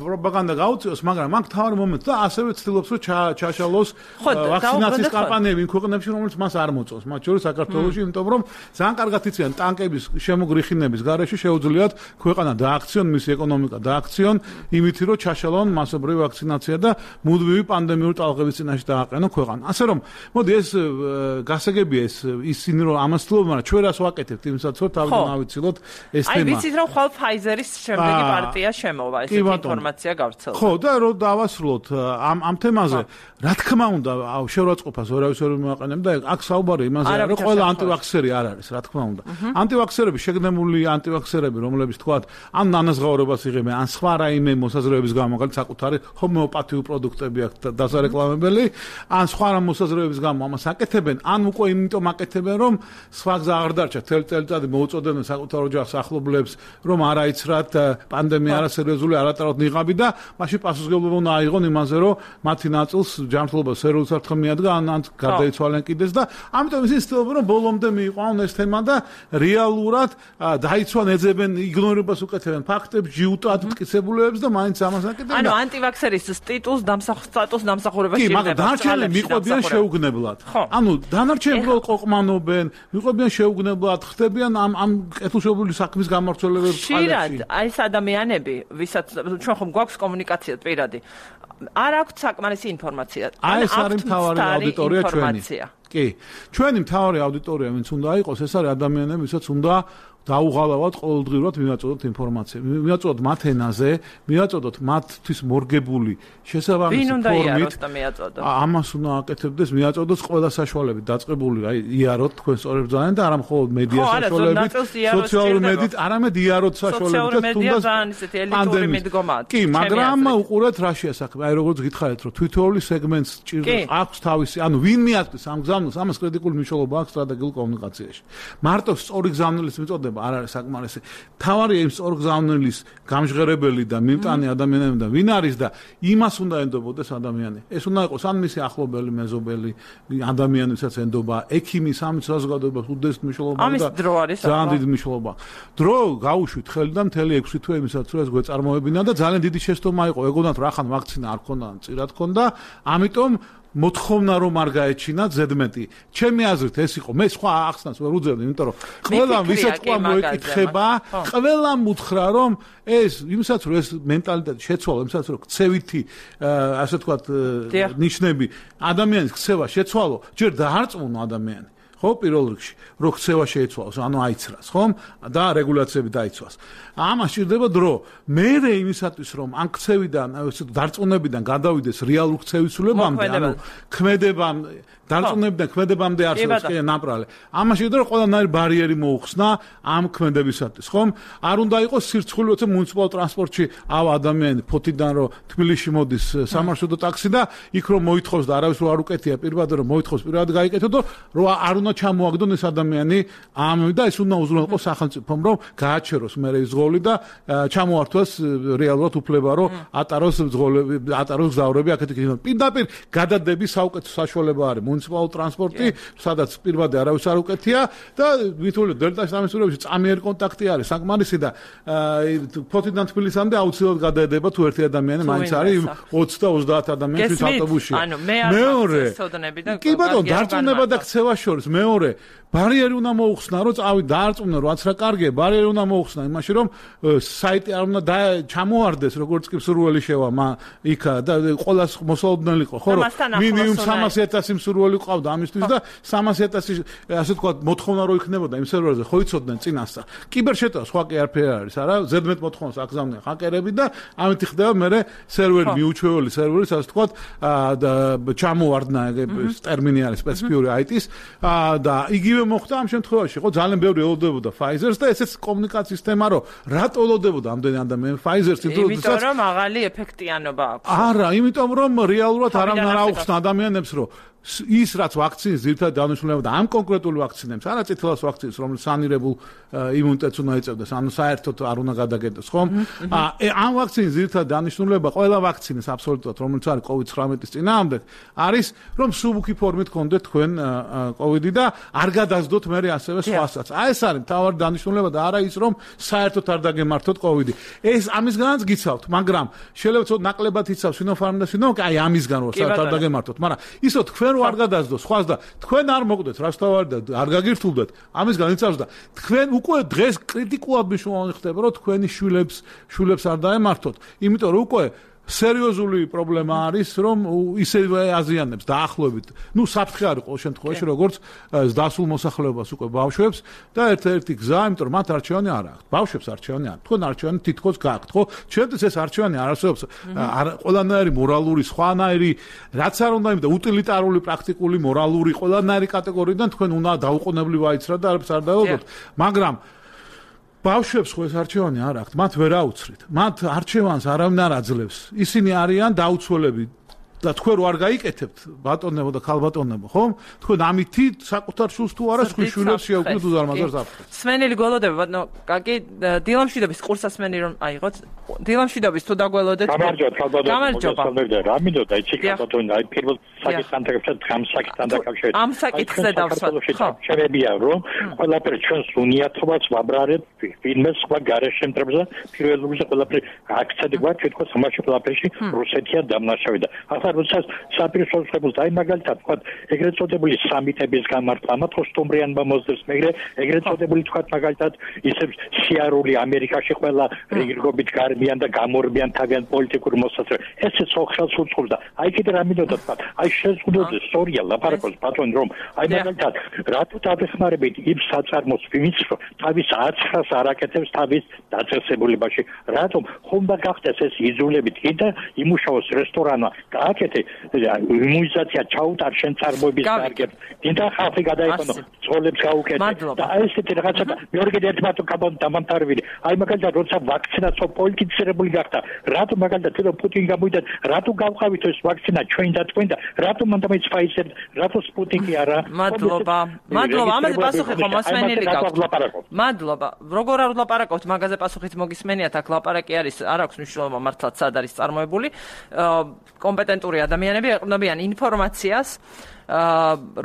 პროპაგანდა გაუწიოს მაგრამ მაგ თავარ მომენტს და ასევე ცდილობს რომ ჩაშალოს ვაქცინაციის კამპანიები იმ ქვეყნებში რომელიც მას არ მოწონს მათ შორის საქართველოში იმიტომ რომ ძალიან კარგად იციან ტანკების შემოგრიხინების გარეშე შეუძლიათ ქვეყანა დააქციონ მისი ეკონომიკა დააქციონ იმით რომ ჩაშალოს სამხელოვან მასობრივი ვაქცინაცია და მუდმივი პანდემიური ტალღების წინაშე დააყენო ქვეყანა. ასე რომ, მოდი ეს გასაგებია ისინი რომ ამას თლობენ, მაგრამ ჩვენ რას ვაკეთებთ იმისაც რომ თავიდან ავიცილოთ ეს თემა. აი ვიცით რომ ხვალ Pfizer-ის შემდეგი პარტია შემოვა ეს ინფორმაცია გავრცელდა. ხო და რომ დავასრულოთ ამ თემაზე, რა თქმა უნდა, შეურაცხყოფას ვერავის ვერ მივაყენებ და აქ საუბარი იმაზე რომ ყველა ანტივაქსერი არ არის, რა თქმა უნდა. ანტივაქსერები, შეგნებული ანტივაქსერები, რომლებიც თქვათ, ან ნანაზღაურებას იღებენ, ან სხვა რაიმე მოსაზრებების გამო, მაგალითად საკუთარი ჰომეოპათიური პროდუქტები აქვს დასარეკლამებელი, ან სხვა რა მოსაზრებების გამო ამას აკეთებენ, ან უკვე იმიტომ აკეთებენ, რომ სხვა გზა არ დარჩა, წელიწადი მოუწოდებენ საკუთარ ოჯახს, ახლობლებს, რომ არ აიცრათ პანდემია არასერიოზული, არატაროთ ნიღაბი და მაშინ პასუხისმგებლობა უნდა აიღონ იმაზე, რომ მათი ნაწილს ჯანმრთელობა სერიოზულ საფრთხემ მიადგა, ან გარდაიცვალენ კიდეც და ამიტომ ისინი ცდილობენ, რომ ბოლომდე მიიყვანონ ეს თემა და რეალურად დაიცვან, ეძებენ, იგნორებას უკეთებენ ფაქტებს, ჯიუტად მტკიცებულებებს და მაინც ამას აკეთებენ. ანუ ანტივაქსერის სტატუს დამსახურება შეიძლება. კი, მაგრამ დანარჩენები მიყვებიან შეუგნებლად. ანუ დანარჩენები უბრალოდ ყოყმანობენ, მიყვებიან შეუგნებლად, ხდებიან ამ კეთილშობილი საქმის გამმართველებებს ხალხი. აი ეს ადამიანები, ვისაც ჩვენ ხომ გვაქვს კომუნიკაცია პირადი. არ აქვთ საკმარისი ინფორმაცია. აი ეს არის მთავარი აუდიტორია ჩვენი. კი, ჩვენი მთავარი აუდიტორია ვინც უნდა იყოს, ეს არის ადამიანები, ვისაც უნდა დაუღალავად ყოველდღიურად მივაწოდოთ ინფორმაცია. მივაწოდოთ მათ ენაზე, მივაწოდოთ მათთვის მორგებული შესაბამისი ფორმით. ამას უნდა აკეთებდეს, მივაწოდოთ ყველა საშუალებით დაწყებული, აი იაროთ თქვენ სწორებ ძალიან და არა მხოლოდ მედია საშუალებით, სოციალური მედიით, არამედ იაროთ საშუალებით და თუნდაც პანდემიის. კი, მაგრამ უყურეთ რა შეასახება. აი როგორც გითხარით, რომ თვითოეული სეგმენტს ჭირდება აქვს თავისი, ანუ ვინ მიაწვის ამ გზავნილს, ამას კრიტიკული მნიშვნელობა აქვს სტრატეგიულ კომუნიკაციაში. მარტო სწორი გზავნილის მიწოდება არ არის საკმარისი. თავარია იმ სწორ გზავნილის გამჟღერებელი და მიმტანი ადამიანები და ვინ არის და იმას უნდა ენდობოდეს ადამიანი. ეს უნდა იყოს ან მისი ახლობელი, მეზობელი ადამიანი, ვისაც ენდობა, ექიმი, სამი საზოგადოება, უდიდესი მნიშვნელობა და ძალიან დიდი მნიშვნელობა. დრო გაუშვით ხელიდან მთელი 6 თვე იმისაც რომ ეს გვეწარმოებინა და ძალიან დიდი შეცდომა იყო. ეგონათ რა ხან ვაქცინა არ ქონდა, წირად ქონდა, ამიტომ მოთხოვნა რომ არ გაეჩინათ ზედმეტი. ჩემი აზრით ეს იყო. მე სხვა ახსნას ვერ უძებდი, იმიტომ რომ ყველამ ვისაც ყვა მოეკითხება, ყველამ უთხრა რომ ეს იმისაც რომ ეს მენტალიტეტი შეცვალა, იმისაც რომ ქცევითი ასე ვთქვათ ნიშნები ადამიანის ქცევა შეცვალო, ჯერ დაარწმუნო ადამიანი. ხო, პირველ რიგში, რომ ქცევა შეიცვალოს, ანუ აიცრას, ხომ? და რეგულაციები დაიცვას. ამას სჭირდება დრო. მერე იმისათვის, რომ ამ ქცევიდან, დარწმუნებიდან გადავიდეს რეალურ ქცევისულებამდე, ანუ ქმედებამდე, დარწმუნებიდან ქმედებამდე არსებობს კი ნაპრალე. ამას შეიძლება ყველანაირი ბარიერი მოუხსნა ამ ქმედებისათვის, ხომ? არ უნდა იყოს სირცხული, როცა მუნიციპალურ ტრანსპორტში ავა ადამიანი ფოთიდან რომ თბილისში მოდის სამარშრუტო ტაქსი და იქ რომ მოითხოვს და არავის არ უკეთია პირბადე რომ მოითხოვს პირად გაიკეთო და რომ არ უნდა ჩამოაგდონ ეს ადამიანი ამ და ეს უნდა უზრუნველყოს სახელმწიფომ რომ გააჩეროს მე ეს ზღოლი და ჩამოართვას რეალურად უფლება რომ ატაროს ზღოლები, ატაროს გზავრები აქეთ იქ. პირდაპირ გადადების საუკეთესო საშუალება არის მუნიციპალური ტრანსპორტი, სადაც პირბადე არავის არ უკეთია და ვითვლით დელტაში ამისურებში წამიერი კონტაქტი არის საკმარისი და ფოთიდან თბილისამდე აუცილებლად გადაედება თუ ერთი ადამიანი მაინც არის 20 და 30 ადამიანის ავტობუსში. მეორე კი ბატონო, დარწმუნება და ქცევა შორის მეორე ბარიერი უნდა მოუხსნა, რომ წავი დაარწმუნო, რაც რა კარგია, ბარიერი უნდა მოუხსნა იმაში, რომ საიტი არ უნდა ჩამოარდეს, როგორც კი მსურველი შევა იქ და ყოველას მოსალოდნელი იყო, ხო, რომ მინიმუმ 300,000 მსურველი ყავდა ამისთვის და 300,000 ასე თქვა მოთხოვნა რო იქნებოდა იმ სერვერზე, ხო იცოდნენ წინასწარ. კიბერშეტევა სხვა კი არაფერი არის, არა, ზედმეტ მოთხოვნას აკზავნიან ჰაკერები და ამით ხდება მე სერვერი მიუჩვეული სერვერი, ასე თქვა ჩამოარდნა ეს ტერმინი არის სპეციფიური IT-ის და იგივე მოხდა ამ შემთხვევაში, ხო, ძალიან ბევრი ელოდებოდა Pfizer-ს და ესეც კომუნიკაციის თემა, რომ რატო ელოდებოდა ამდენი ადამიანი Pfizer-ს, იმიტომ რომ მაღალი ეფექტიანობა აქვს. არა, იმიტომ რომ რეალურად არავინ არ აუხსნა ადამიანებს, რომ ის რაც ვაქცინის ძირითადად დანიშნულება და ამ კონკრეტული ვაქცინებს, არა წითელას ვაქცინას, რომელიც სანირებულ იმუნიტეტს უნდა ეწევდეს, ანუ საერთოდ არ უნდა გადაგეტოს, ხომ? ამ ვაქცინის ძირითადად დანიშნულება ყველა ვაქცინის აბსოლუტურად, რომელიც არის COVID-19-ის წინააღმდეგ, არის რომ სუბუქი ფორმით გქონდეთ თქვენ COVID-ი და არ გადასდოთ მე ასევე სხვასაც. აი ეს არის მთავარი დანიშნულება და არა ის რომ საერთოდ არ დაგემართოთ COVID-ი. ეს ამისგანაც გიცავთ, მაგრამ შეიძლება ცოტა ნაკლებად იცავს Sinopharm და Sinovac, აი ამისგან რომ საერთოდ არ დაგემართოთ, მაგრამ ისო თქვენ რო არ გადასდოს სხვას და თქვენ არ მოკვდეთ რას თავარი და არ გაგირთულდეთ ამისგან იცავს და თქვენ უკვე დღეს კრიტიკულად მნიშვნელოვანი ხდება რომ თქვენი შვილებს არ დაემართოთ, იმიტომ რომ უკვე სერიოზული პრობლემა არის, რომ ისევე აზიანებს დაახლოებით. ნუ საფრთხე არის ყოველ შემთხვევაში, როგორც დასულ მოსახლეობას უკვე ბავშვებს და ერთ-ერთი გზა, იმიტომ რომ მათ არჩევანი არ აქვს. ბავშვებს არჩევანი არ. თქვენ არჩევანი თითქოს გაქვთ, ხო? ჩვენთვის ეს არჩევანი არ არსებობს. ყველანაირი მორალური, სხვანაირი, რაც არ უნდა იმდა უტილიტარული, პრაქტიკული, მორალური, ყველანაირი კატეგორიიდან თქვენ უნდა დაუყოვნებლივ აიცრათ და არაფერს არ დაელოდოთ. მაგრამ ბავშვებს ხო ეს არჩევანი არ აქვთ, მათ ვერ აუცრით. მათ არჩევანს არავინ არ აძლევს. ისინი არიან დაუცველები და თქვენ რო არ გაიკეთებთ ბატონებო და ქალბატონებო, ხო? თქვენ ამითი საკუთარ შულს თუ არა სხვის შვილებს შეუქმნით უზარმაზარ საფრთხეს. სმენელი გველოდები, ბატონო, კაკი, დილამშვიდობის ყურსასმენი რომ აიღოთ. დილამშვიდობის თუ დაგველოდეთ. გამარჯობა, ქალბატონო. რა მინდოდა, იცი ქალბატონო, აი პირველ საკითხთან დაკავშირებით. ამ საკითხზე დავსვათ. ხო. შევებია რომ ყველაფერი ჩვენს უნიათობას ვაბრარებთ ვინმე სხვა გარეშემტრებზე, პირველობაზე ყველაფერი აქცენტი გვაქვს თვითონ სამაში ყველაფერში რუსეთია დამნაშავე და როცა საპირისპიროს აი მაგალითად თქვა ეგრეთ წოდებული სამიტების გამართვა ამათო სტუმრიანობა მოსდევს მეგრე ეგრეთ წოდებული თქვა მაგალითად ისე სიარული ამერიკაში ყველა რიგრობით გარბიან და გამორბიან თავიანთ პოლიტიკურ მოსაზრებას ესე სოციალს უწყობს და აი კიდე რა მინდოდა თქვა აი შეზღუდოდეს სწორია ლაპარაკობს ბატონი რომ აი მაგალითად რატო დაგეხმარებით იმ საწარმოს ვინც თავის აცხრას არაკეთებს თავის დაწესებულებაში რატომ ხომ და გახდეს ეს იზოლებით კიდე იმუშაოს რესტორანმა აკეთე იმუნიზაცია ჩაუტარ შენ წარმოების კარგებს დინდა ხალხი გადაიყვანო ძოლებს გაუკეთე და აი ესეთი რაღაცა მეორე კიდე ერთ მარტო დამამთავრებელი აი მაგალითად როცა ვაქცინაცო პოლიტიზირებული გახდა რატო მაგალითად თვითონ პუტინი გამოვიდა რატო გავყავით ეს ვაქცინა ჩვენ და თქვენ და რატო მანდამეც ფაიზერ რატო სპუტინი არა მადლობა ამაზე პასუხი ხომ მოსმენელი გაქვთ მადლობა როგორ არ ვლაპარაკობთ მაგაზე პასუხით მოგისმენიათ აქ ლაპარაკი არის არ აქვს მნიშვნელობა მართლაც სად არის წარმოებული კომპეტენტური ადამიანები ეყრდნობიან ინფორმაციას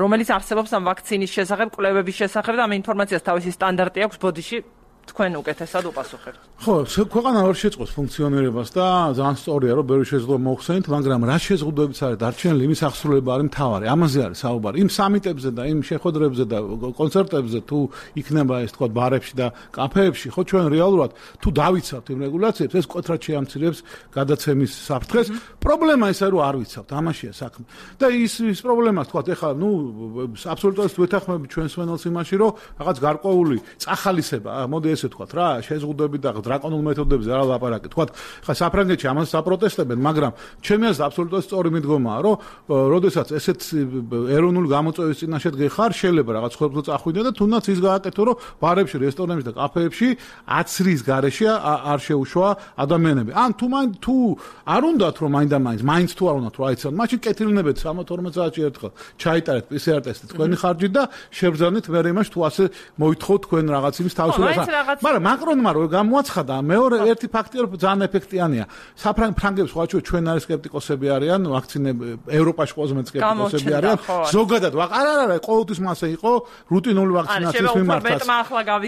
რომელიც არსებობს ამ ვაქცინის შესახებ, კვლევების შესახებ და ამ ინფორმაციას თავისი სტანდარტი აქვს ბოდიში თქვენ უკეთესად უპასუხებთ. ხო, ქვეყანა ვერ შეწყობს ფუნქციონირებას და ძალიან სწორია, რომ ბევრი შეზღუდვა მოხსენით, მაგრამ რა შეზღუდვებიც არის დარჩენილი, იმის აღსრულება არის მთავარი. ამაზე არის საუბარი. იმ სამიტებზე და იმ შეხვედრებზე და კონცერტებზე თუ იქნება ეს თქვა ბარებში და კაფეებში, ხო ჩვენ რეალურად თუ დავიცავთ იმ რეგულაციებს, ეს მკვეთრად შეამცირებს გადაცემის საფრთხეს. პრობლემა ისაა, რომ არ ვიცავთ, ამაშია საქმე. და ის პრობლემას თქვა, ეხლა ნუ აბსოლუტურად ვეთანხმები ჩვენ სვენელს იმაში, რომ რაღაც გარკვეული წახალისება, მოდი ესე თქვათ რა, შეზღუდვები და დრაკონულ მეთოდებზე არ ლაპარაკი. თქვათ, ხა საფრანგეთში ამას საპროტესტებენ, მაგრამ ჩემი აზრით აბსოლუტურად სწორი მიდგომაა, რომ როდესაც ესეთ ეროვნული გამოწვევის წინაშე გეხარ, შეიძლება რაღაც ხორბლო წახვიდე და თუნდაც ის გააკეთო, რომ ბარებში, რესტორნებში და კაფეებში აცრის გარეშე არ შეუშვა ადამიანები. ან თუ არ უნდათ რომ მაინც თუ არ უნდათ რომ აიცან, მაშინ კეთილნებეთ 12 საათში ერთხელ ჩაიტარეთ PCR ტესტი თქვენი ხარჯით და შევძანით მე იმას თუ ასე მოითხოვთ თქვენ რაღაც იმის თავისუფლებას. მაგრამ მაკრონმა რო გამოაცხადა მეორე ერთი ფაქტია რომ ძალიან ეფექტიანია. საფრანგებს ხოჩო ჩვენ არის სკეპტიკოსები არიან, ვაქცინები ევროპაში ყველაზე მეტ სკეპტიკოსები არიან. ზოგადად არა, ყოველთვის მასე იყო რუტინული ვაქცინაციის მიმართაც.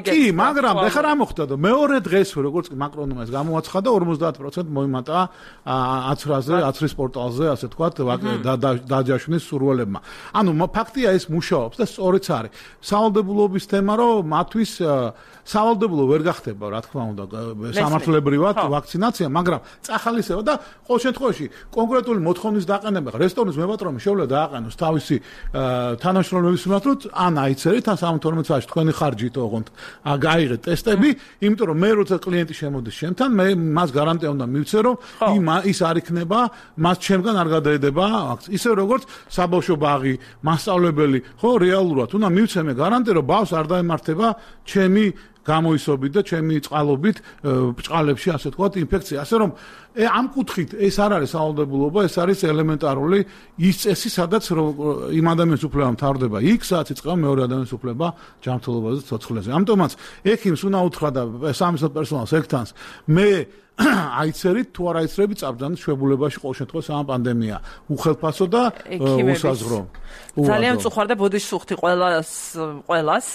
კი, მაგრამ ეხლა რა მოხდა? მეორე დღეს როგორც მაკრონმა ეს გამოაცხადა 50% მოიმატა აცრაზე, აცრის პორტალზე, ასე თქვათ, დაჯაშვნის სურვილებმა. ანუ ფაქტია ეს მუშაობს და სწორიც არის. სავალდებულობის თემა რომ მათთვის სავალდებულო ვერ გახდება, რა თქმა უნდა, სამართლებრივად ვაქცინაცია, მაგრამ წახალისება და ყოველ შემთხვევაში კონკრეტული მოთხოვნის დაყენება, რესტორნის მებატრონი შეუძლია დააყენოს თავისი თანამშრომლების მიმართ, ან აიცერით, ან 12 საათში თქვენი ხარჯით ოღონდ გაიღეთ ტესტები, იმიტომ რომ მე როცა კლიენტი შემოდის შემთან, მე მას გარანტია უნდა მივცე, რომ ის არ იქნება, მას ჩემგან არ გადაედება ვაქცინა. ისე როგორც საბავშვო ბაღი, მასწავლებელი, ხო, რეალურად უნდა მივცე მე გარანტია, რომ ბავშვს არ დაემართება ჩემი გამოისობით და ჩემი წყალობით ბჭყალებში ასე თქვა ინფექცია. ასე რომ ამ კუთხით ეს არ არის სავალდებულობა, ეს არის ელემენტარული ის წესი, სადაც იმ ადამიანის უფლება მთავრდება იქ, სადაც იწყება მეორე ადამიანის უფლება ჯანმრთელობაზე, ცოცხლებზე. ამიტომაც ექიმს უნდა უთხრა და სამედიცინო პერსონალს ეკთანს მე აიცერით თუ არ აიცრებით წაბრძანის შვებულებაში ყოველ შემთხვევაში ამ პანდემია უხელფასო და უსაზღრო. ძალიან წუხარ და ბოდიში სუხთი ყველას,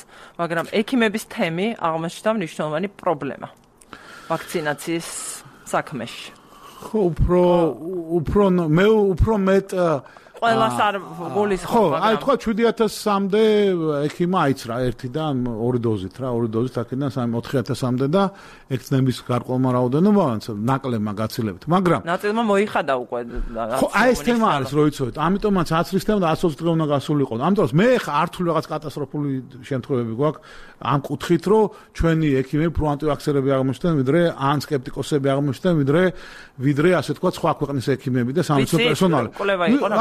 მაგრამ ექიმების თემი აღმოჩნდა მნიშვნელოვანი პრობლემა ვაქცინაციის საქმეში. უფრო მეტ ყველას არ გულის ხო, აი თქვა 7000-მდე ექიმა აიცრა ერთი და ორი დოზით რა, ორი დოზით აქედან 4000-მდე და ექცნების გარკვეულმა რაოდენობამ ნაკლებმა გაცილებით. მაგრამ ნაწილმა მოიხადა უკვე. ხო, აი ეს თემა არის, რო იცოდეთ. ამიტომაც აცრის თემა და 120 დღე უნდა გასულიყო. ამიტომ მე ხა არ თუ რაღაც კატასტროფული შემთხვევები გვაქვს ამ კუთხით, რომ ჩვენი ექიმები პროანტივაქსერები აღმოჩნდნენ, ვიდრე ან სკეპტიკოსები აღმოჩნდნენ, ვიდრე ასე თქვა სხვა ქვეყნის ექიმები და სამედიცინო პერსონალი.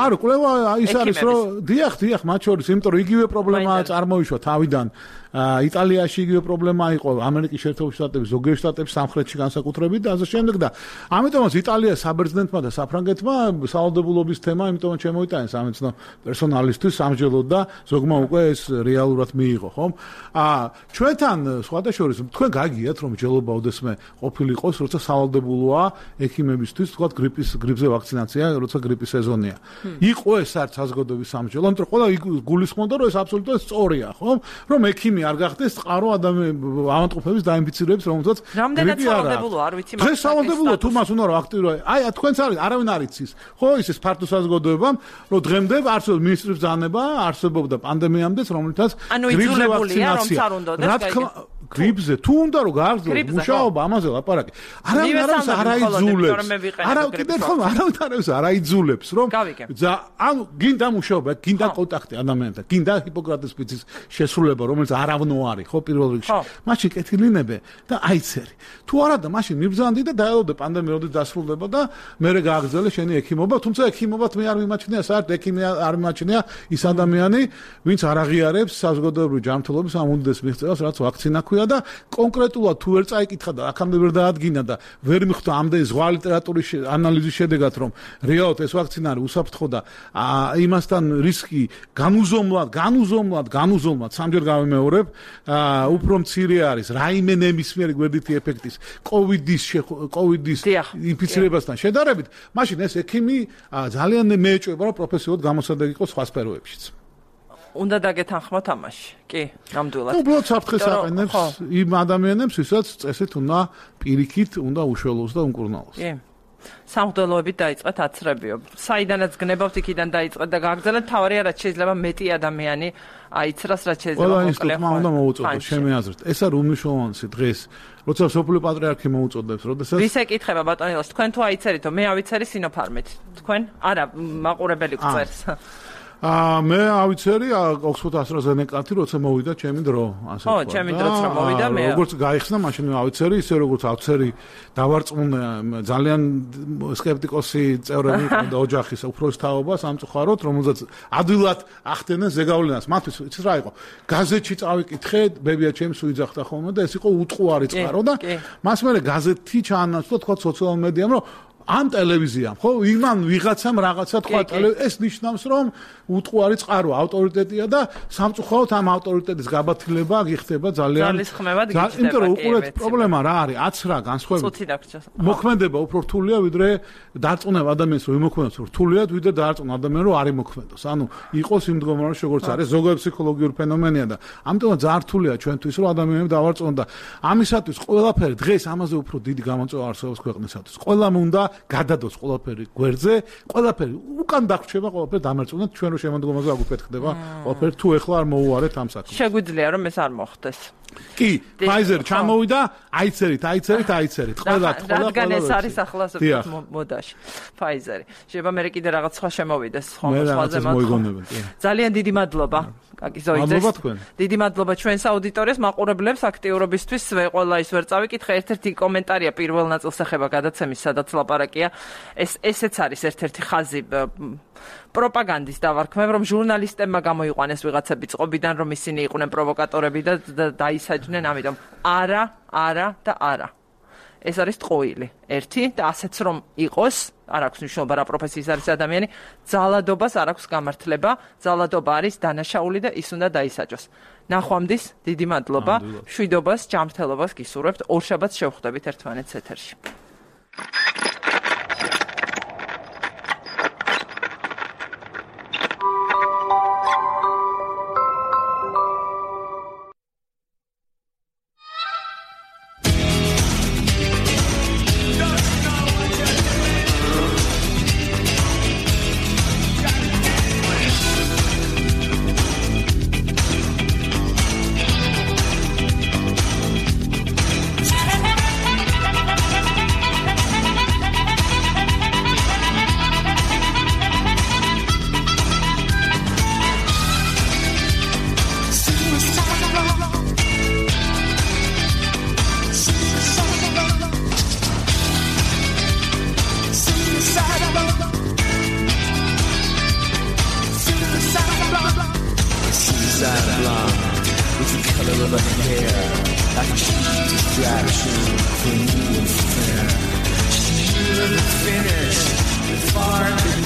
არა, კვლევა ის არის, რომ დიახ, მათ შორის, იმიტომ რომ იგივე პრობლემა წარმოიშვა თავიდან. იტალიაში იგივე პრობლემა იყო, ამერიკის შეერთებული შტატების, ზოგიერთ შტატებში, სამხრეთში განსაკუთრებით და ასე შემდეგ და ამიტომაც იტალიას საბერძნეთმა და საფრანგეთმა სავალდებულობის თემა, იმიტომ შემოიტანეს სამედიცინო პერსონალისთვის სამჯელოდ და ზოგმა უკვე ეს რეალურად მიიღო, ხომ? ჩვენთან სხვადასხვა თქვენ გაგიათ, რომ ჯელობა ოდესმე ყოფილიყოს, როცა სავალდებულოა ექიმებისთვის, თქვა გრიპზე ვაქცინაცია, როცა გრიპის სეზონია. იყო ეს არც საზოგადოების სამჯელო, იმიტომ რომ ყველა გულისხმობდა, რომ ეს აბსოლუტურად სწორია, ხომ? რომ ექიმი არ გახდეს წყარო ავადმყოფების დაინფიცირების, რომელსაც რამდენად სავალდებულოა, არ ვიცი, მაგრამ სავალდებულოა თუ მას უნდა რომ აქტიურად. აი, თქვენც არის, არავინ არ იცის. ხო, ის ფართო საზოგადოებამ, რომ დღემდე არსებობს მინისტრის ბრძანება, არსებობდა პანდემიამდეც, რომლითაც გრიპზე ვაქცინაცია. გრიპზე თუ უნდა რომ გააგრძელოს მუშაობა, ამაზე ლაპარაკი. არავინ არ აიძულებს. არავინ არ აიძულებს, რომ ანუ გინდა მუშაობა, გინდა კონტაქტი ადამიანთან, გინდა ჰიპოკრატეს მიწის შესრულება, რომელიც არავნო არის, ხო, პირველ რიგში. მაშინ კეთილინებე და აიცერი. თუ არა და მაშინ მიბრძანდი და დაელოდე პანდემია როდის დასრულდება და მერე გააგრძელე შენი ექიმობა, თუმცა ექიმობათ მე არ მიმაჩნია, საერთოდ ექიმი არ მიმაჩნია ის ადამიანი, ვინც არ აღიარებს საზოგადოებრივი ჯანმრთელობის ამ უდიდეს მიღწევას, რაც ვაქცინა ქვია და კონკრეტულად თუ ვერ წაიკითხა და აქამდე ვერ დაადგინა და ვერ მიხვდა ამდენი ზღვა ლიტერატურის ანალიზის შედეგად, რომ რეალურად ეს ვაქცინა არის უსაფრთხო და იმასთან რისკი განუზომლად სამჯერ გავიმეორებ, უფრო მცირე არის რაიმე ნებისმიერი გვერდითი ეფექტის კოვიდის ინფიცირებასთან შედარებით, მაშინ ეს ექიმი ძალიან მეეჭვება, რომ პროფესიულად გამოსადეგი იყოს სხვა სფეროებშიც. უნდა დაგეთანხმოთ ამაში. კი, ნამდვილად. უბრალოდ საფრთხეს აყენებს იმ ადამიანებს, ვისაც წესით უნდა პირიქით უნდა უშველოს და უმკურნალოს. კი. სამღვდელოებით დაიწყეთ აცრებიო. საიდანაც გნებავთ, იქიდან დაიწყეთ და გააგრძელეთ. თავარია, რაც შეიძლება მეტი ადამიანი აიცრას, რაც შეიძლება ყველა ინსტიტუტმა უნდა მოუწოდოს, ჩემი აზრით. ეს არის უმნიშვნელოვანესი დღეს, როცა სოფლიო პატრიარქი მოუწოდებს, როდესაც ვის ეკითხება ბატონილოს, თქვენ თუ აიცერითო, მე ავიცერი სინოფარმით. თქვენ? არა, მაყურებელი გწერს. მე ავიცერი ოქსფორდ ასტრაზენეკათი, როცა მოვიდა ჩემი დრო, ასე ვთქვა. ხო, ჩემი დროც რა მოვიდა, მე როგორც გაიხსნა, მაშინ ავიცერი, ისე როგორც ავცერი დავარწმუნე ძალიან სკეპტიკოსი წევრები და ოჯახის უფროს თაობა სამწუხაროდ, რომელზეც ადვილად ახდენენ ზეგავლენას. მათთვის იცით რა იყო? გაზეთში წავიკითხე, ბებია ჩემს უიძახდა ხოლმე და ეს იყო უტყუარი წყარო და მას მერე გაზეთი ჩაანაცვლა, თქვა სოციალურ მედიამ, რომ ამ ტელევიზიამ, ხო, იმან ვიღაცამ რაღაცა თქვა ეს ნიშნავს, რომ უტყუარი წყარო ავტორიტეტია და სამწუხაროდ ამ ავტორიტეტის გაბათილება გიხდება ძალიან იმიტომ რომ უყურეთ პრობლემა რა არის, აცრა განსხვავებით. მოქმედება უფრო რთულია, ვიდრე დარწმუნება ადამიანს რომ იმოქმედოს რთულია, ვიდრე დარწმუნება ადამიანს რომ არ იმოქმედოს. ანუ იყოს იმ მდგომარეობაში, როგორც არის, ზოგადად ფსიქოლოგიური ფენომენია და ამიტომ ძალიან რთულია ჩვენთვის, რომ ადამიანები დავარწმუნოთ და ამისათვის ყველაფერი დღეს ამაზე უფრო დიდი გამოწვევა არსებობს ქვეყნისათვის. ყველამ უნდა გადადოს ყველაფერი გვერდზე, ყველაფერი უკან დაგრჩება, ყველაფერი დამერწმუნოთ, ჩვენ რომ შემოდგომაზე აგუფეთქდება, ყველაფერი თუ ეხლა არ მოუარეთ ამ საქმეს. შეგვიძლია რომ ეს არ მოხდეს. კი, Pfizer ჩამოვიდა, აიცერით. ყველა. რადგან ეს არის ახლა მოდაში. Pfizer. შეიძლება მე კიდე რაღაც სხვა შემოვიდეს, სხვაზე მოიგონებენ. ძალიან დიდი მადლობა. დიდი მადლობა ჩვენს აუდიტორიას, მაყურებლებს აქტიურობისთვის. ყველა ის ვერ წავიკითხე, ერთ-ერთი კომენტარია პირველ ნაწილს ეხება გადაცემის, სადაც ლაპარაკია. ესეც არის ერთ-ერთი ხაზი პროპაგანდის დავარქმევ, რომ ჟურნალისტებმა გამოიყვანეს ვიღაცები წყობიდან, რომ ისინი იყვნენ პროვოკატორები და დაისაჯნენ, ამიტომ არა და არა. ეს არის ტყუილი. ერთი და ასეც რომ იყოს, არ აქვს მნიშვნელობა რა პროფესიის არის ადამიანი, ძალადობას არ აქვს გამართლება, ძალადობა არის დანაშაული და ის უნდა დაისაჯოს. ნახვამდის, დიდი მადლობა, მშვიდობას, ჯანმრთელობას გისურვებთ, ორშაბათს შევხვდებით ერთმანეთს ეთერში. the color of her hair, like a cheap distraction for new affair. She never finished, far too